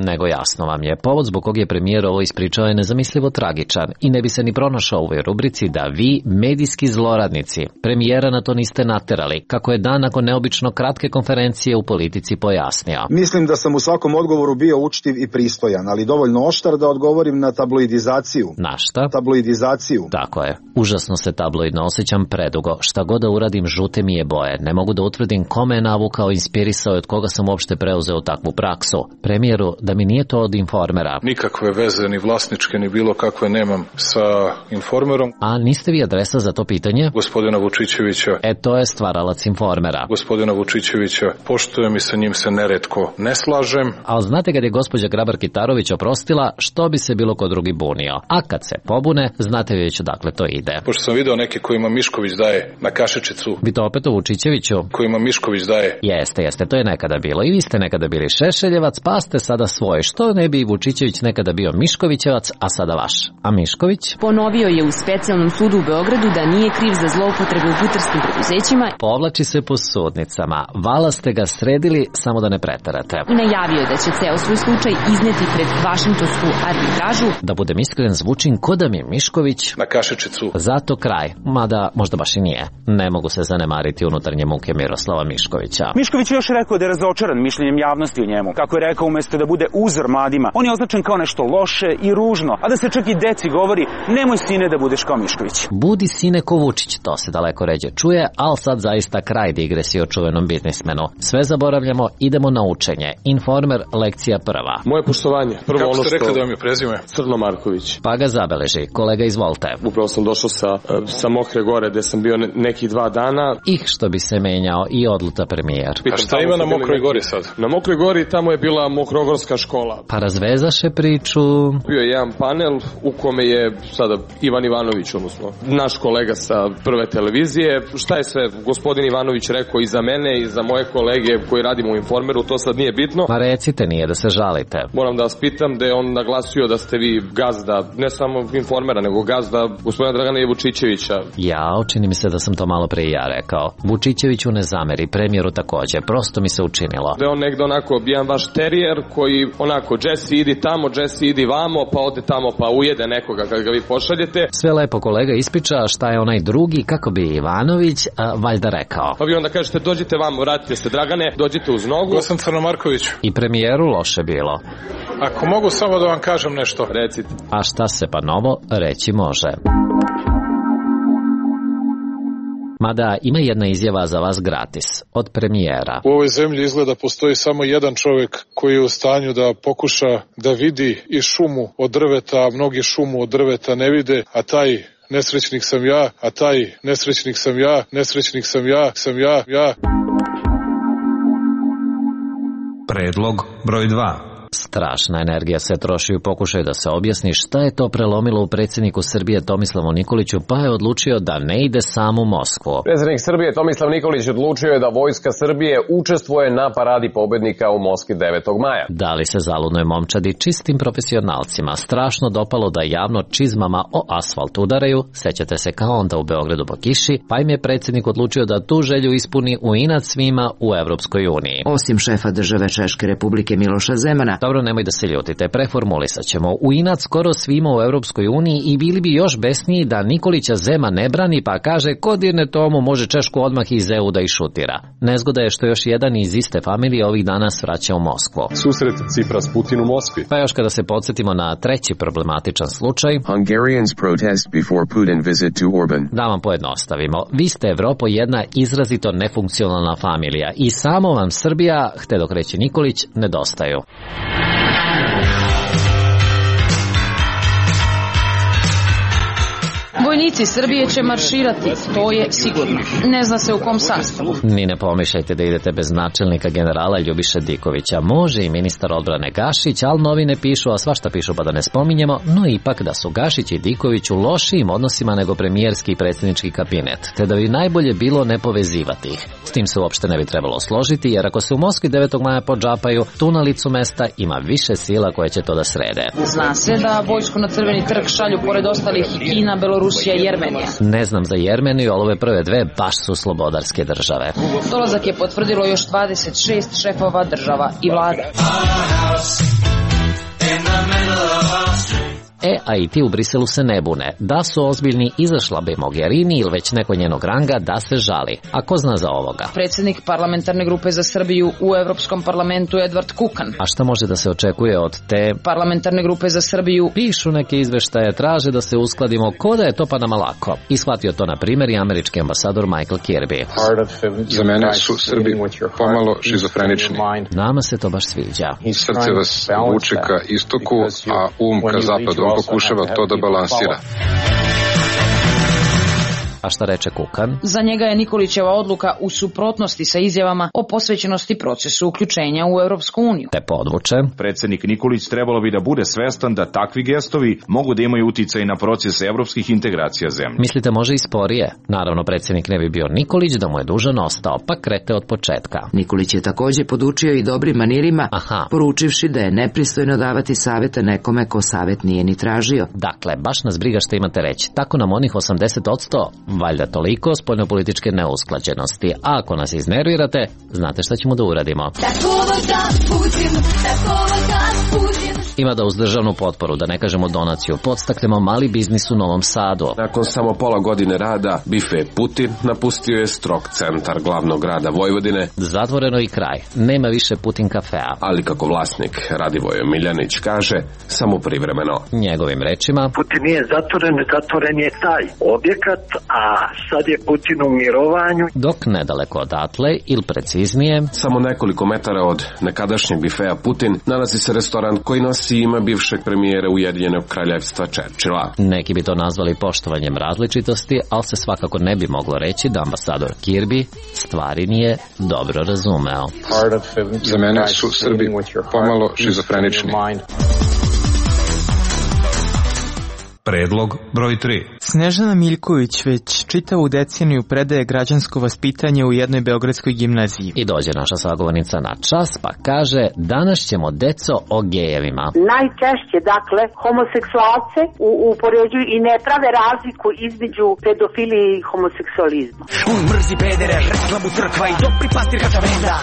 Nego jasno vam je, povod zbog kog je premijer ovo ispričao je nezamislivo tragičan i ne bi se ni pronašao u ovoj rubrici da vi, medijski zloradnici, premijera na to niste naterali, kako je dan nakon neobično kratke konferencije u Politici pojasnio. Mislim da sam u svakom odgovoru bio učtiv i pristojan, ali dovoljno oštar da odgovorim na tabloidizaciju. Na šta? Tabloidizaciju. Tako je. Užasno se tabloidno osjećam predugo. Šta god da uradim, žute mi je boje. Ne mogu da utvrdim kome je navukao, inspirisao i od koga sam uopšte preuzeo takvu praksu. Premijeru, da mi nije to od Informera. Nikakve veze, ni vlasničke, ni bilo kakve nemam sa Informerom. A niste vi adresa za to pitanje? Gospodina Vučićevića. To je stvaralac Informera. Gospodina Vučićevića poštujem i sa njim se neretko ne slažem. Ali znate kad je gospođa Grabar-Kitarović oprostila, što bi se bilo ko drugi bunio? A kad se pobune, znate već odakle to ide. Pošto sam video neke kojima Mišković daje na kašičicu. Vi to opet o Vučićeviću? Kojima Mišković daje. Jeste, to je nekada bilo. I vi ste nekada bili Šešeljevac, pa ste sada svoj. Što ne bi Vučićević nekada bio Miškovićevac, a sada vaš? A Mišković? Ponovio je u specijalnom sudu u Beogradu da nije kriv za zloupotrebe u putarskim preduzećima. Povlači se po sudnicama. Vala ste ga sredili, samo da ne preterate. I najavio da će ceo svoj slučaj izneti pred vašingtonsku arbitražu. Da budem iskren, zvučim ko da mi Mišković na kašičicu. Zato kraj, mada možda baš i nije. Ne mogu se zanemariti unutarnje muke Miroslava Miškovića. Mišković je još rekao da je razočaran mišljenjem javnosti o njemu. Kako je rekao, umesto da bude uzor mladima, on je označen kao nešto loše i ružno, a da se čak i deci govori, nemoj sine da budeš kao Mišković. Budi sine ko Vučić, to se daleko ređe čuje, ali sad zaista kraj digresije o čuvenom biznismenu. Sve zaboravljamo, idemo na učenje. Informer, lekcija prva. Moje poštovanje. Prvo kako ste rekli da vam je prezime? Crno Marković. Pa ga zabeleži. Kolega, izvolite. Upravo sam došao sa Mokre Gore, gde sam bio nekih 2 dana. Što bi se menjao i odluta premijer. A šta ima na Mokroj Gori sad? Na Mokroj Gori tamo je bila Mokrogorska škola. Pa razvezaše priču. Bio je jedan panel u kome je sada Ivan Ivanović, odnosno naš kolega sa Prve televizije. Šta je sve gospodin Ivanović rekao i za mene i za moje kolege koji radimo u Informeru, to sad nije bitno. Ma recite, nije da se žalite. Moram da vas pitam da je on naglasio da ste vi gazda, ne samo Informera, nego gazda gospodina Dragana Vučićevića. Čini mi se da sam to malo pre i ja rekao. Vučićeviću ne zameri, premijeru takođe, prosto mi se učinilo. Da je on negde onako jedan vaš terijer koji onako Jesse idi tamo, Jesse idi vamo, pa ode tamo pa ujede nekoga kad ga vi pošaljete. Sve lepo kolega ispriča šta je onaj drugi, kako bi Ivanović valjda rekao. Pa vi onda kažete dođite vamo, vratite se Dragane, dođite uz nogu. Ko sam Crnomarković. I premijeru loše bilo. Ako mogu samo da vam kažem nešto. Recite. A šta se pa novo reći može. Mada ima jedna izjava za vas gratis, od premijera. U ovoj zemlji izgleda postoji samo jedan čovjek koji je u stanju da pokuša da vidi i šumu od drveta, a mnogi šumu od drveta ne vide, a taj nesrećnik sam ja, a taj nesrećnik sam ja, nesrećnik sam ja, ja. Predlog broj 2. Strašna energija se troši u pokušaju da se objasni šta je to prelomilo u predsjedniku Srbije Tomislavu Nikoliću, pa je odlučio da ne ide sam u Moskvu. Predsjednik Srbije Tomislav Nikolić odlučio je da Vojska Srbije učestvuje na paradi pobednika u Moskvi 9. maja. Da li se zaludnoj momčadi čistim profesionalcima strašno dopalo da javno čizmama o asfalt udaraju, sećate se kao onda u Beogradu po kiši, pa im je predsjednik odlučio da tu želju ispuni u inat svima u Evropskoj uniji. Osim šefa države Češke Republike Miloša Zemana. Dobro, nemoj da se ljutite, preformulisat ćemo. U inat skoro svima u Evropskoj uniji i bili bi još besniji da Nikolića Zeman ne brani pa kaže ko dirne tomu može Češku odmah iz EU da išutira. Nezgoda je što još jedan iz iste familije ovih dana svraća u Moskvu. Susret Cipras Putin u Moskvi. Pa još kada se podsjetimo na treći problematičan slučaj. Hungarians protest before Putin visit to Orban. Da vam pojednostavimo. Vi ste Evropo jedna izrazito nefunkcionalna familija i samo vam Srbija, htedok dok reći Nikolić, nedostaju. Vojnici Srbije će marširati, to je sigurno. Ne zna se u kom sastavu. Ni ne pomišljajte da idete bez načelnika generala Ljubiše Dikovića. Može i ministar odbrane Gašić, ali novine pišu, a svašta pišu pa da ne spominjemo, no ipak da su Gašić i Diković u lošijim odnosima nego premijerski i predsjednički kabinet, te da bi najbolje bilo ne povezivati ih. S tim se uopšte ne bi trebalo složiti, jer ako se u Moskvi 9. maja podžapaju, tu na licu mesta ima više sila koje će to da srede. Zna se da vojsku na Crveni trg šalju pored ostalih i Kina, Belorusija i Jermenija. Ne znam za Jermeniju, ali ove prve dve baš su slobodarske države. Dolazak je potvrdilo još 26 šefova država i vlada. A i ti u Briselu se ne bune. Da su ozbiljni, izašla bi Mogherini ili već neko njenog ranga da se žali. A ko zna za ovoga? Predsjednik parlamentarne grupe za Srbiju u Evropskom parlamentu Edvard Kukan. A šta može da se očekuje od te parlamentarne grupe za Srbiju? Pišu neke izveštaje, traže da se uskladimo, ko da je to pa nama lako. I shvatio to na primjer i američki ambasador Michael Kirby. Za mene su Srbi pomalo šizofrenični. Nama se to baš sviđa. Srce vas vuče ka istoku, a ka zapadu. Pokušava to da balansira. A šta reče Kukan? Za njega je Nikolićeva odluka u suprotnosti sa izjavama o posvećenosti procesu uključenja u Europsku uniju. Te podvuče. Predsjednik Nikolić trebalo bi da bude svestan da takvi gestovi mogu da imaju uticaj na proces evropskih integracija zemlje. Mislite može i sporije? Naravno, predsjednik ne bi bio Nikolić da mu je dužan ostao, pa krete od početka. Nikolić je također podučio i dobrim manirima, poručivši da je nepristojno davati savjeta nekome ko savjet nije ni tražio. Dakle, baš nas briga što imate reći. Tako nam onih 80%, valjda toliko spoljnopolitičke neusklađenosti. A ako nas iznervirate, znate šta ćemo da uradimo. Ima da uz državnu potporu, da ne kažemo donaciju, podstaknemo mali biznis u Novom Sadu. Nakon samo pola godine rada, bife Putin napustio je strog centar glavnog grada Vojvodine. Zatvoreno i kraj. Nema više Putin kafea. Ali kako vlasnik Radivoje Miljanić kaže, samo privremeno. Njegovim rečima, Putin nije zatvoren je taj objekat, a sad je Putin u mirovanju. Dok nedaleko odatle, ili preciznije, samo nekoliko metara od nekadašnjeg bifeja Putin nalazi se restoran koji nosi ime bivšeg premijera Ujedinjenog kraljevstva Churchilla. Neki bi to nazvali poštovanjem različitosti, ali se svakako ne bi moglo reći da ambasador Kirby stvari nije dobro razumeo. Za mene su Srbi pomalo šizofrenični. Predlog broj 3. Snežana Miljković već čitavu deceniju predaje građansko vaspitanje u jednoj beogradskoj gimnaziji. I dođe naša sagovornica na čas pa kaže, danas ćemo deco o gejevima. Najčešće, dakle, homoseksualce upoređuju i ne prave razliku između pedofilije i homoseksualizma. Mrzi pedere, rekla mu crkva i dobri pastir kačavenda.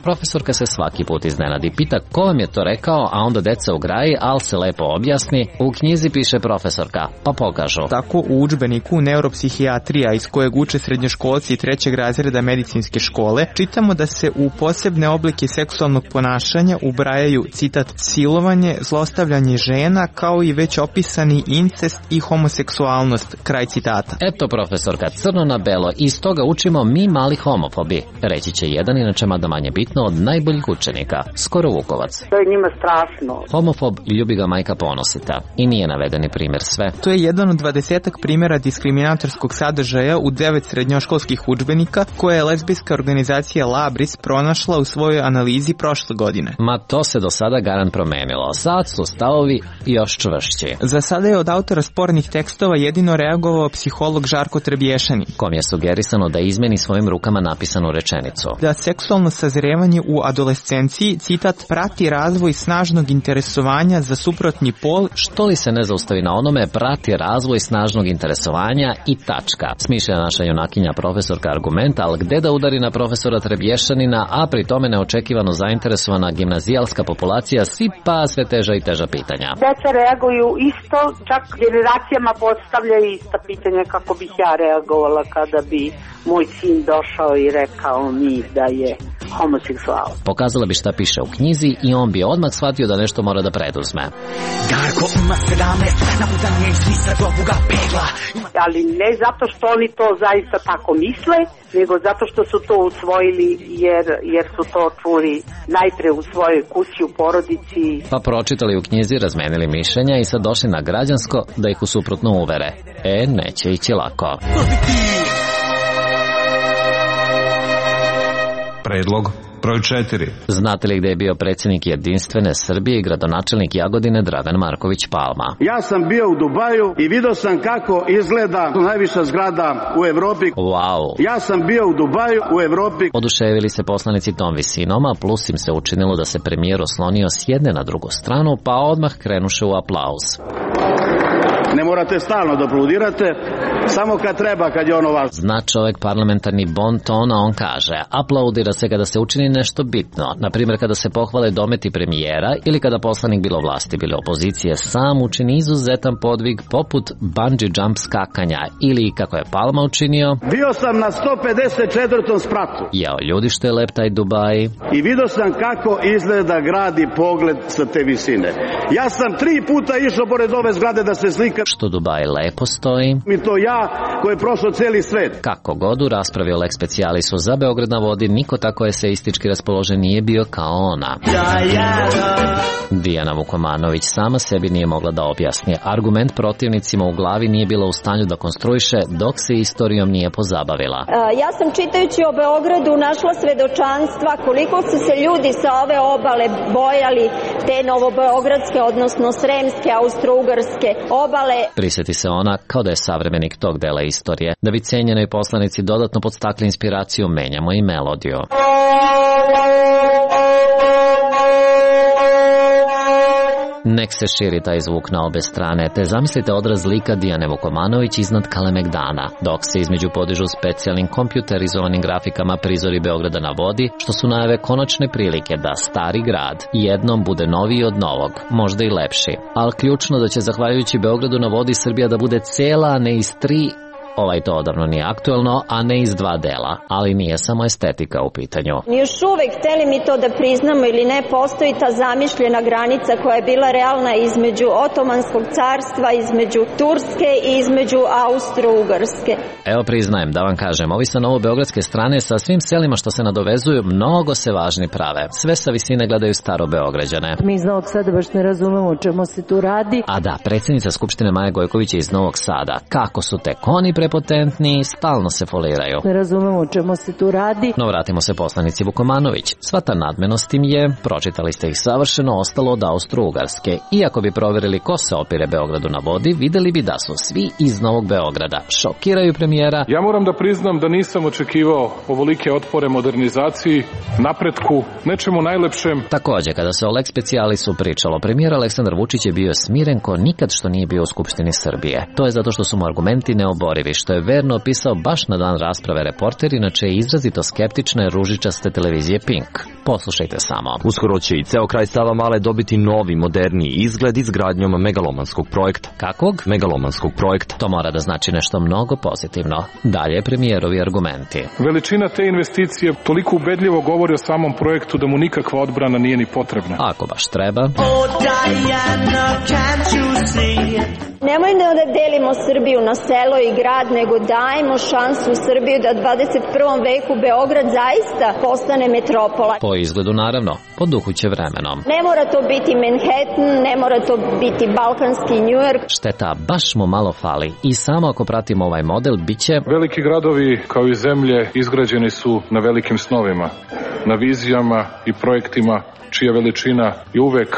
Profesorka se svaki put iznenadi. Pita ko vam je to rekao, a onda deca u graji, al se lepo objasni. U knjizi piše profesorka. Pa pokažu. Tako u udžbeniku Neuropsihijatrija iz kojeg uče srednjoškolci 3. razreda medicinske škole, čitamo da se u posebne oblike seksualnog ponašanja ubrajaju, citat, silovanje, zlostavljanje žena, kao i već opisani incest i homoseksualnost, kraj citata. Eto profesorka, crno na belo, iz toga učimo mi mali homofobi. Reći će jedan, inače mada manje bitno, od najboljih učenika, skoro Vukovac. To je njima strašno. Homofob ljubi ga majka Ponosita. I nije navedeni primjer sve žrtve. To je jedan od 20 primjera diskriminatorskog sadržaja u 9 srednjoškolskih udžbenika koje je lezbijska organizacija Labris pronašla u svojoj analizi prošle godine. Ma to se do sada garant promenilo. Sad su stavovi još čvršći. Za sada je od autora spornih tekstova jedino reagovao psiholog Žarko Trebješanin, kom je sugerisano da izmeni svojim rukama napisanu rečenicu. Da seksualno sazrevanje u adolescenciji, citat, prati razvoj snažnog interesovanja za suprotni pol. Što li se ne zaustavi na onome, prati razvoj snažnog interesovanja i tačka. Smišlja naša junakinja profesorka argumenta, ali gde da udari na profesora Trebješanina, a pri tome neočekivano zainteresovana gimnazijalska populacija sipa sve teža i teža pitanja. Deca reaguju isto, čak generacijama postavljaju ista pitanja kako bih ja reagovala kada bi moj sin došao i rekao mi da je homoseksual. Pokazala bi šta piše u knjizi i on bi odmah shvatio da nešto mora da preduzme. Darko ima 17, naputanje iz lista do buga pegla. Ali ne zato što oni to zaista tako misle, nego zato što su to usvojili jer su to čuli najpre u svojoj kući, u porodici. Pa pročitali u knjizi, razmenili mišljenja i sad došli na građansko da ih u suprotno uvere. Neće ići lako. Predlog broj 4. Znate li gde je bio predsjednik Jedinstvene Srbije i gradonačelnik Jagodine Dragan Marković Palma? Ja sam bio u Dubaju i vidio sam kako izgleda najviša zgrada u Evropi. Wow. Ja sam bio u Dubaju u Evropi. Oduševili se poslanici tom visinom, a plus im se učinilo da se premijer oslonio s jedne na drugu stranu, pa odmah krenuše u aplauz. Ne morate stalno da aplaudirate, samo kad treba, kad je ono važno. Zna čovek parlamentarni bon ton, a on kaže, aplaudira se kada se učini nešto bitno, na primjer kada se pohvale dometi premijera ili kada poslanik bilo vlasti, bilo opozicije sam učini izuzetan podvig poput bungee jump skakanja ili, kako je Palma učinio, bio sam na 154. spratu. Jao, ljudi što je lep taj Dubaj. I vidio sam kako izgleda grad i pogled sa te visine. Ja sam 3 puta išao pored ove zgrade da se slika. Što Dubaj lepo stoji. I to ja koji je prošao cijeli svet. Kako god u raspravi o Lex Specialisu za Beograd na vodi, niko tako eseistički raspoložen nije bio kao ona. Dijana Vukomanović sama sebi nije mogla da objasni. Argument protivnicima u glavi nije bila u stanju da konstruiše dok se istorijom nije pozabavila. Ja sam čitajući o Beogradu našla svedočanstva koliko su se ljudi sa ove obale bojali te novobeogradske, odnosno sremske, austrougarske obale. Prisjeti se ona kao da je savremenik tog dela istorije. Da bi cenjenoj poslanici dodatno podstakli inspiraciju, menjamo i melodiju. Nek se širi taj zvuk na obe strane, te zamislite odraz lika Dijane Vukomanović iznad Kalemegdana, dok se između podižu specijalnim kompjuterizovanim grafikama prizori Beograda na vodi, što su najave konačne prilike da stari grad jednom bude noviji od novog, možda i lepši. Ali ključno da će zahvaljujući Beogradu na vodi Srbija da bude cela, a ne iz 3. To odavno nije aktuelno, a ne iz 2 dela, ali nije samo estetika u pitanju. Još uvek, hteli mi to da priznamo ili ne, postoji ta zamišljena granica koja je bila realna između Otomanskog carstva, između Turske i između Austro-Ugarske. Evo priznajem, da vam kažem, ovi sa novobeogradske strane sa svim selima što se nadovezuju, mnogo se važni prave. Sve sa visine gledaju staro Beograđane. Mi iz Novog Sada baš ne razumemo o čemu se tu radi. A da, predsjednica Skupštine Maja Gojković je iz Novog Sada. Kako su tek oni prepotentni, stalno se foliraju. Ne razumemo o čemu se tu radi. No vratimo se poslanici Vukomanović. Sva ta nadmenost im je, pročitali ste ih savršeno, ostalo od Austro-Ugarske. Iako bi proverili ko se opire Beogradu na vodi, videli bi da su svi iz Novog Beograda. Šokiraju premijera. Ja moram da priznam da nisam očekivao ovolike otpore modernizaciji, napretku, nečemu najlepšem. Takođe, kada se o Lex Specialisu pričalo, premijer Aleksandar Vučić je bio smiren ko nikad što nije bio u Skupštini Srbije. To je zato što su mu argumenti neoborivi, što je verno opisao baš na dan rasprave reporter, inače je izrazito skeptične ružičaste televizije Pink. Poslušajte samo. Uskoro će i ceo kraj Savamale dobiti novi, moderniji izgled izgradnjom megalomanskog projekta. Kakvog? Megalomanskog projekta. To mora da znači nešto mnogo pozitivno. Dalje premijerovi argumenti. Veličina te investicije toliko ubedljivo govori o samom projektu da mu nikakva odbrana nije ni potrebna. Ako baš treba. Oh Diana, can't you see? Nemojmo da delimo Srbiju na selo i grad, nego dajmo šansu Srbiju da u 21. veku Beograd zaista postane metropola. Po izgledu naravno, po duhu će vremenom. Ne mora to biti Manhattan, ne mora to biti balkanski New York. Šteta, baš mu malo fali i samo ako pratimo ovaj model, bit će... Veliki gradovi kao i zemlje izgrađeni su na velikim snovima, na vizijama i projektima čija veličina je uvek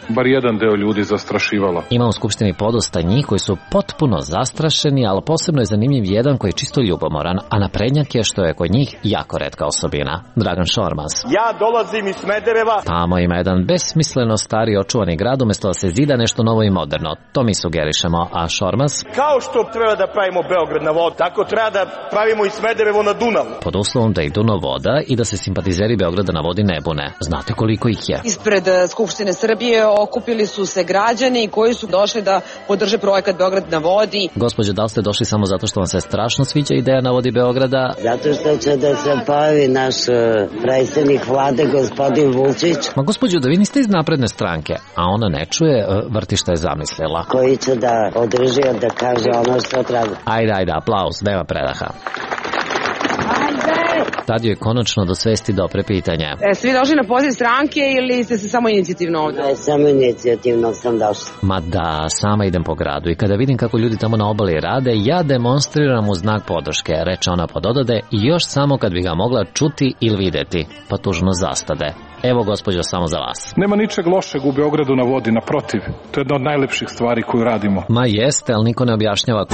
bar jedan deo ljudi zastrašivalo. Ima u Skupštini podosta njih koji su potpuno zastrašeni, ali posebno je zanimljiv jedan koji je čisto ljubomoran, a naprednjak je što je kod njih jako retka osobina. Dragan Šormaz. Ja dolazim iz Smedereva. Tamo ima jedan besmisleno stari očuvani grad, umjesto da se zida nešto novo i moderno. To mi sugerišemo, a Šormaz? Kao što treba da pravimo Beograd na vodu, tako treba da pravimo i Smederevo na Dunavu. Pod uslovom da idu na voda i da se simpatizeri Beograda na vodi ne bune. Znate koliko ih je? Ispred Skupštine Srbije okupili su se građani koji su došli da podrže projekat Beograd na vodi. Gospođo, da li ste došli samo zato što vam se strašno sviđa ideja na vodi Beograda? Zato što će da se pojavi naš predsjednik vlade, gospodin Vučić. Ma gospođo, da vi niste iz Napredne stranke, a ona ne čuje, vrti što je zamislila. Koji će da održi da kaže ono što treba. Ajde, aplauz, nema predaha. Tad joj konačno do svesti dopre pitanje. Ste vi došli na poziv stranke ili ste se samo inicijativno ovdje? Ne, samo inicijativno sam došla. Ma da, sama idem po gradu i kada vidim kako ljudi tamo na obali rade, ja demonstriram u znak podrške, reče ona pododade, i još samo kad bi ga mogla čuti ili videti, pa tužno zastade. Evo, gospođo, samo za vas. Nema ničeg lošeg u Beogradu na vodi, naprotiv. To je jedna od najlepših stvari koju radimo. Ma jeste, ali niko ne objašnjava.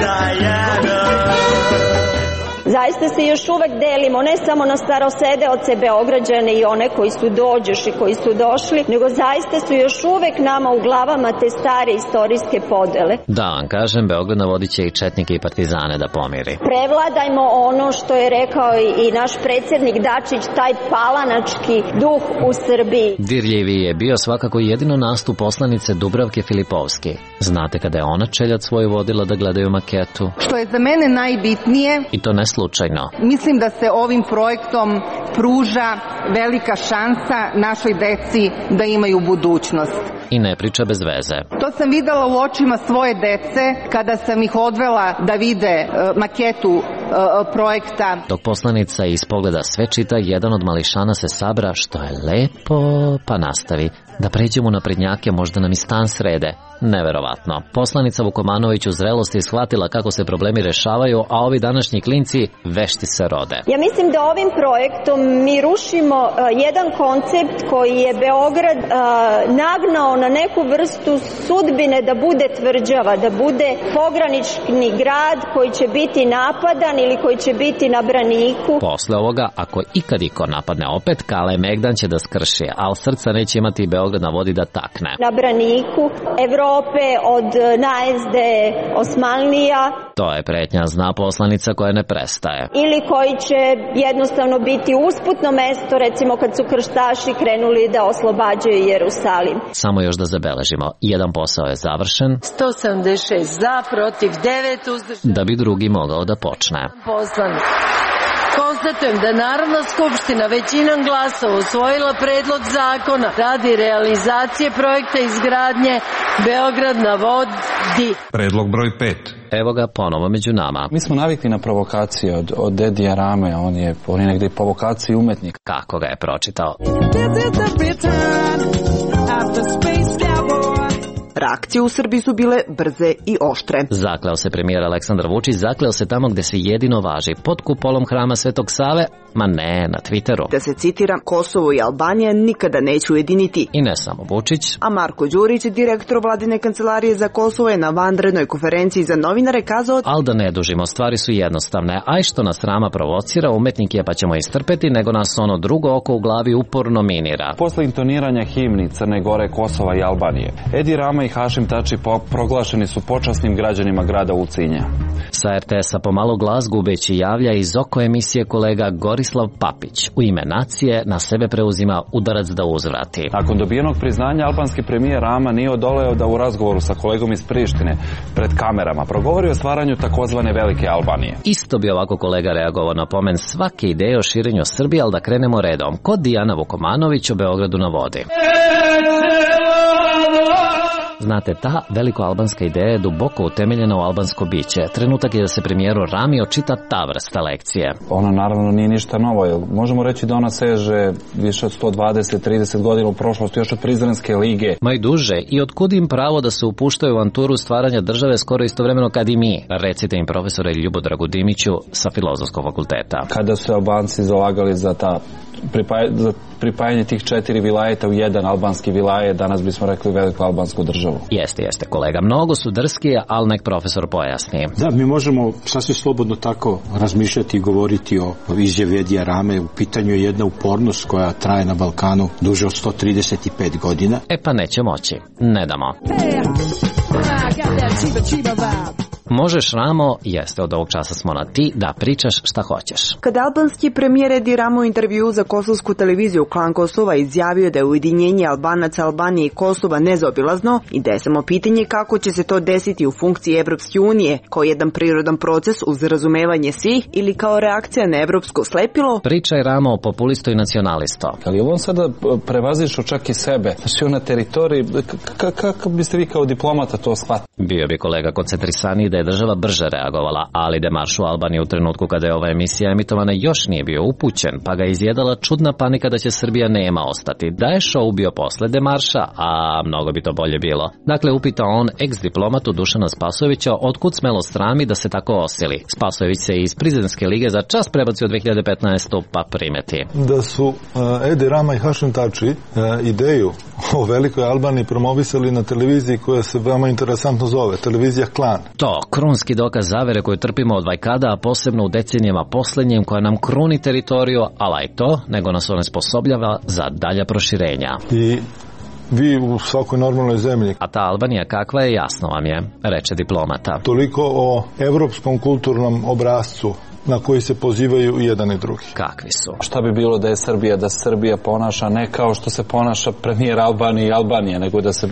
Zaista se još uvek delimo, ne samo na starosedeoce Beograđane i one koji su dođoš i koji su došli, nego zaista su još uvek nama u glavama te stare istorijske podele. Da vam kažem, Beograd na vodi će i četnike i partizane da pomiri. Prevladajmo ono što je rekao i naš predsjednik Dačić, taj palanački duh u Srbiji. Dirljiviji je bio svakako jedino nastup poslanice Dubravke Filipovski. Znate kada je ona čeljad svoju vodila da gledaju maketu? Što je za mene najbitnije, i to ne slučajno. Mislim da se ovim projektom pruža velika šansa našoj deci da imaju budućnost. I ne priča bez veze. To sam videla u očima svoje dece kada sam ih odvela da vide maketu projekta. Dok poslanica iz pogleda sve čita, jedan od mališana se sabra, što je lepo, pa nastavi. Da pređemo na prednjake, možda nam i stan srede. Neverovatno. Poslanica Vukomanović u zrelosti shvatila kako se problemi rešavaju, a ovi današnji klinci vešti se rode. Ja mislim da ovim projektom mi rušimo jedan koncept koji je Beograd nagnao na neku vrstu sudbine da bude tvrđava, da bude pogranični grad koji će biti napadan ili koji će biti na braniku. Posle ovoga, ako ikad iko napadne opet, Kale Megdan će da skrši, ali srca neće imati Beograd na vodi da takne. Na braniku Evrope od najezde Osmanlija. To je pretnja, zna poslanica koja ne prestaje. Ili koji će jednostavno biti usputno mesto, recimo kad su krstaši krenuli da oslobađaju Jerusalim. Samo još da zabeležimo, jedan posao je završen. 176 za, protiv 9 uzdržanih. Da bi drugi mogao da počne. Poslanik. Konstatujem da Narodna skupština većinom glasova usvojila predlog zakona radi realizacije projekta izgradnje Beograd na vodi. Predlog broj 5. Evo ga ponovo među nama. Mi smo navikli na provokacije od Edija Rame, on je negdje provokaciji umetnik. Kako ga je pročitao? Reakcije u Srbiji su bile brze i oštre. Zakleo se premijer Aleksandar Vučić, zakleo se tamo gde se jedino važi, pod kupolom hrama Svetog Save, ma ne, na Twitteru. Da se citira, Kosovo i Albanija nikada neće ujediniti. I ne samo Vučić. A Marko Đurić, direktor vladine kancelarije za Kosovo, je na vanrednoj konferenciji za novinare kazao: al da ne dužimo, stvari su jednostavne, aj što nas Rama provocira, umetnik je pa ćemo istrpeti, nego nas ono drugo oko u glavi uporno minira. Posle intoniranja himni Crne Gore, Kosova i Albanije, Edi Rama i Hašim Tači proglašeni su počasnim građanima grada Ulcinja. Sa RTS-a pomalo glas gubeći javlja iz oko emisije kolega Gorislav Papić. U ime nacije na sebe preuzima udarac da uzvrati. Nakon dobijenog priznanja, albanski premijer Rama nije odoleo da u razgovoru sa kolegom iz Prištine pred kamerama progovori o stvaranju takozvane Velike Albanije. Isto bi ovako kolega reagovao na pomen svake ideje o širenju Srbije, ali da krenemo redom. Kod Dijana Vukomanović o Beogradu na vodi. Znate, ta velikoalbanska ideja je duboko utemeljena u albansko biće. Trenutak je da se premijeru Rami očita ta vrsta lekcije. Ona naravno nije ništa novo. Možemo reći da ona seže više od 120-30 godina u prošlosti, još od Prizrenske lige. Ma i duže. I otkud im pravo da se upuštaju u avanturu stvaranja države skoro istovremeno kad i mi? Recite im, profesore Ljubodragu Dimiću sa Filozofskog fakulteta. Kada su Albanci zalagali za pripajanje tih 4 vilajeta u jedan albanski vilajet, danas bismo rekli veliku albansku državu. Jeste, kolega. Mnogo su drski, ali nek profesor pojasni. Da, mi možemo sasvim slobodno tako razmišljati i govoriti o izjavi Edija Rame. U pitanju je jedna upornost koja traje na Balkanu duže od 135 godina. Pa neće moći. Ne damo. Možeš, Ramo, jeste, od ovog časa smo na ti, da pričaš šta hoćeš. Kada albanski premijer Edi Rama u intervju za kosovsku televiziju Klan Kosova izjavio da je ujedinjenje Albanaca, Albanije i Kosova nezaobilazno i da je samo pitanje kako će se to desiti u funkciji Evropske unije, kao jedan prirodan proces uz razumevanje svih ili kao reakcija na evropsko slepilo. Priča je Rama o populistu i nacionalisto. Ali on sada prevazišao čak i sebe. Znači, na teritoriji, kako biste vi kao diplomata to shvatili? Bio bi kolega koncentrisaniji da je država brže reagovala, ali demarš u Albaniji u trenutku kada je ova emisija emitovana još nije bio upućen, pa ga izjedala čudna panika da će Srbija nema ostati. Da je show bio posle demarša, a mnogo bi to bolje bilo. Dakle, upita on ex-diplomatu Dušana Spasojevića otkud smelost Rami da se tako osili. Spasojević se iz Prizrenske lige za čas prebacio 2015. pa primeti. Da su Edi Rama i Hašim Tači ideju o velikoj Albaniji promovisali na televiziji koja se veoma interesantno zove, televizija Klan. To, krunski dokaz zavere koju trpimo od vajkada, a posebno u decenijama poslednjim, koja nam kruni teritoriju, ali i to, nego nas onesposobljava za dalja proširenja. I vi u svakoj normalnoj zemlji. A ta Albanija kakva je, jasno vam je, reče diplomata. Toliko o evropskom kulturnom obrascu na koji se pozivaju i jedan i drugi. Kakvi su? Šta bi bilo da je Srbija, da Srbija ponaša ne kao što se ponaša premijer Albanije i Albanije, nego da se...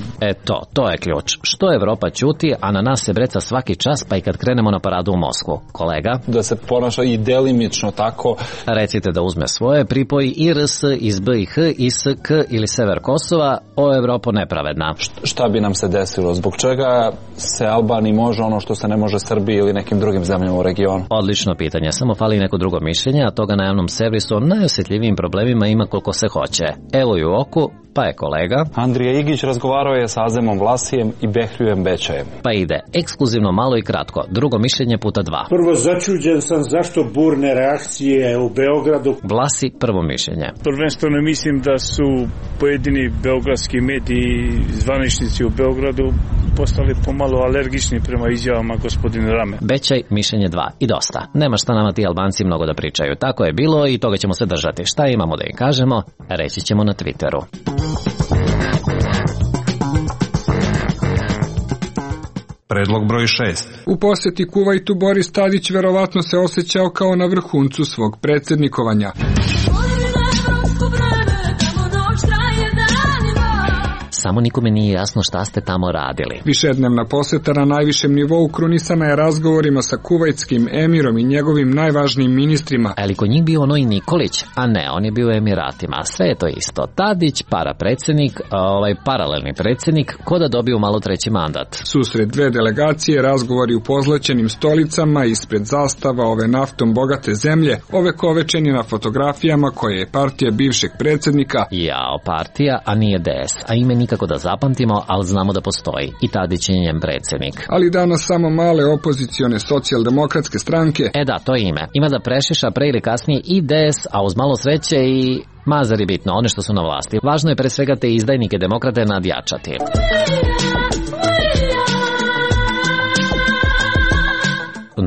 To je ključ. Što Evropa ćuti, a na nas se breca svaki čas, pa i kad krenemo na paradu u Moskvu. Kolega? Da se ponaša i delimično tako. Recite da uzme svoje, pripoji i RS iz B i H, i S, K ili Sever Kosova, o Evropo nepravedna. Šta bi nam se desilo? Zbog čega se Albaniji može ono što se ne može Srbiji ili nekim drugim zemljama u regionu? Odlično pitanje. Samo fali neko drugo mišljenje, a toga na javnom servisu o najosjetljivijim problemima ima koliko se hoće. Evo i u oku, pa je kolega. Andrija Igić razgovarao je sa Azemom Vlasijem i Behljujem Bečajem. Pa ide, ekskluzivno malo i kratko, drugo mišljenje puta 2. Prvo, začuđen sam zašto burne reakcije u Beogradu. Vlasi, prvo mišljenje. Prvenstveno mislim da su pojedini beogradski mediji, zvaničnici u Beogradu, postali pomalo alergični prema izjavama gospodina Rame. Bećaj, mišljenje 2. I dosta. Nema šta nama ti Albanci mnogo da pričaju. Tako je bilo i toga ćemo se držati. Šta imamo da im kažemo, reći ćemo na Twitteru. Predlog broj 6. U posjeti Kuvajtu Boris Tadić verovatno se osjećao kao na vrhuncu svog predsjednikovanja. Samo nikome nije jasno šta ste tamo radili. Višednevna posjeta na najvišem nivou krunisana je razgovorima sa kuvajtskim emirom i njegovim najvažnijim ministrima. Ali kod njih bio ono i Nikolić, a ne, on je bio u Emiratima. Sve je to isto. Tadić, parapredsjednik, paralelni predsjednik, ko da dobiju malo treći mandat. Susret dve delegacije, razgovori u pozlaćenim stolicama, ispred zastava ove naftom bogate zemlje, ovekovečeni na fotografijama koje je partija bivšeg predsjednika. Jao, partija, a nije DS, a ime nikako da zapamtimo, ali znamo da postoji. I Tadić je njen predsjednik. Ali danas samo male opozicione socijaldemokratske stranke. Da, to je ime. Ima da prešiša pre ili kasnije i DS, a uz malo sreće i Mazar je bitno, one što su na vlasti. Važno je pre svega te izdajnike demokrate nadjačati.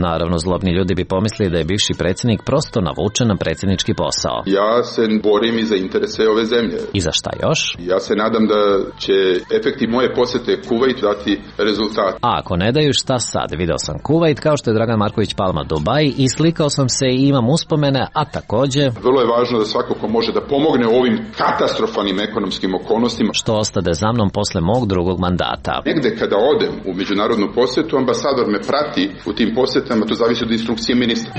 Naravno, zlobni ljudi bi pomislili da je bivši predsjednik prosto navučen na predsjednički posao. Ja se borim i za interese ove zemlje. I za šta još? Ja se nadam da će efekti moje posjete Kuvajt dati rezultat. A ako ne daju, šta sad? Video sam Kuvajt kao što je Dragan Marković Palma Dubai i slikao sam se i imam uspomene, a takođe... Vrlo je važno da svako ko može da pomogne u ovim katastrofalnim ekonomskim okolnostima. Što ostade za mnom posle mog drugog mandata. Negde kada odem u međunarodnu posjetu, ambasador me prati u tim posjetama. To zavisi od instrukcije ministra.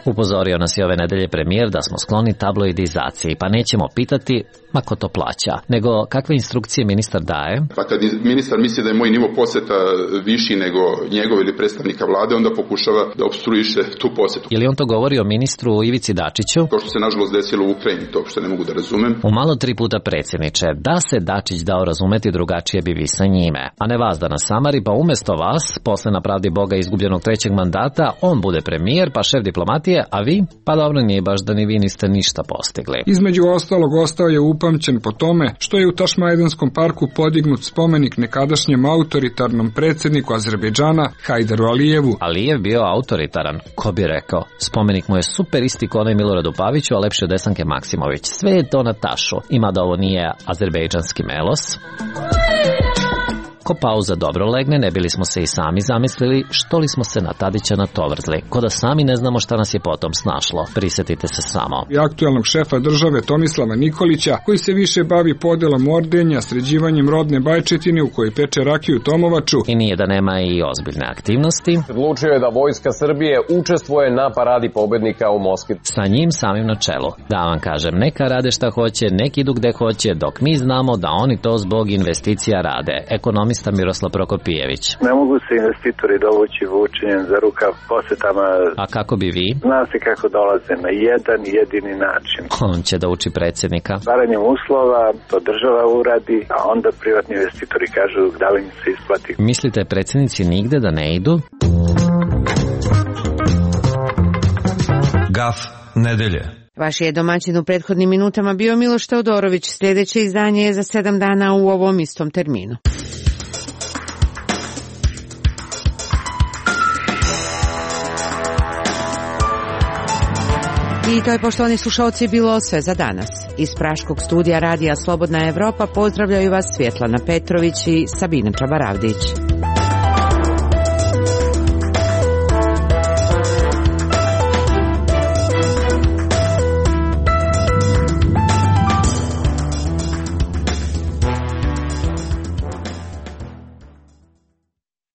Upozorio nas je ove nedelje premijer da smo skloni tabloidizaciji, pa nećemo pitati ma ko to plaća, nego kakve instrukcije ministar daje. Pa kad ministar misli da je moj nivo poseta viši nego njegov ili predstavnika vlade, onda pokušava da opstruiše tu posetu. Je li on to govori o ministru Ivici Dačiću? To što se nažalost desilo u Ukrajini, to što ne mogu da razumem. U malo 3 puta predsjedniče, da se Dačić dao razumeti drugačije bi vi sa njime, a ne vas da nas samari, pa umjesto vas, posle na pravdi Boga izgubljenog 3. mandata, on bude premijer, pa šef diplomatije, a vi? Pa dobro, nije baš da ni vi niste ništa postigli. Između ostalog ostao je upamćen po tome što je u Tašmajdenskom parku podignut spomenik nekadašnjem autoritarnom predsjedniku Azerbejdžana Hajdaru Alijevu. Alijev bio autoritaran, ko bi rekao. Spomenik mu je super isti ko onaj Miloradu Paviću, a lepši od Desanke Maksimović. Sve je to na tašu. Ima da ovo nije azerbejdžanski melos. Ko pauza dobro legne, ne bili smo se i sami zamislili što li smo se na Tadića natovrzli, ko da sami ne znamo šta nas je potom snašlo. Prisjetite se samo. I aktualnog šefa države Tomislava Nikolića, koji se više bavi podelom ordenja, sređivanjem rodne bajčetine u kojoj peče rakiju Tomovaču. I nije da nema i ozbiljne aktivnosti. Odlučio je da Vojska Srbije učestvuje na paradi pobednika u Moskvi. Sa njim samim na čelu. Da vam kažem, neka rade šta hoće, neki idu gde hoće, dok mi znamo da oni to zbog investicija rade. Ekonomista Miroslav Prokopijević. Ne mogu se investitori dovući vučenjem za rukav posetama. A kako bi vi? Zna se kako dolaze na jedan jedini način. On će da uči predsjednika. Stvaranjem uslova, to država uradi, a onda privatni investitori kažu da li im se isplati. Mislite predsjednici nigde da ne idu? Gaf nedelje. Vaš je domaćin u prethodnim minutama bio Miloš Teodorović. Sljedeće izdanje je za 7 dana u ovom istom terminu. I to je, poštovani slušalci, bilo sve za danas. Iz praškog studija Radija Slobodna Evropa pozdravljaju vas Svjetlana Petrović i Sabina Čabaravdić.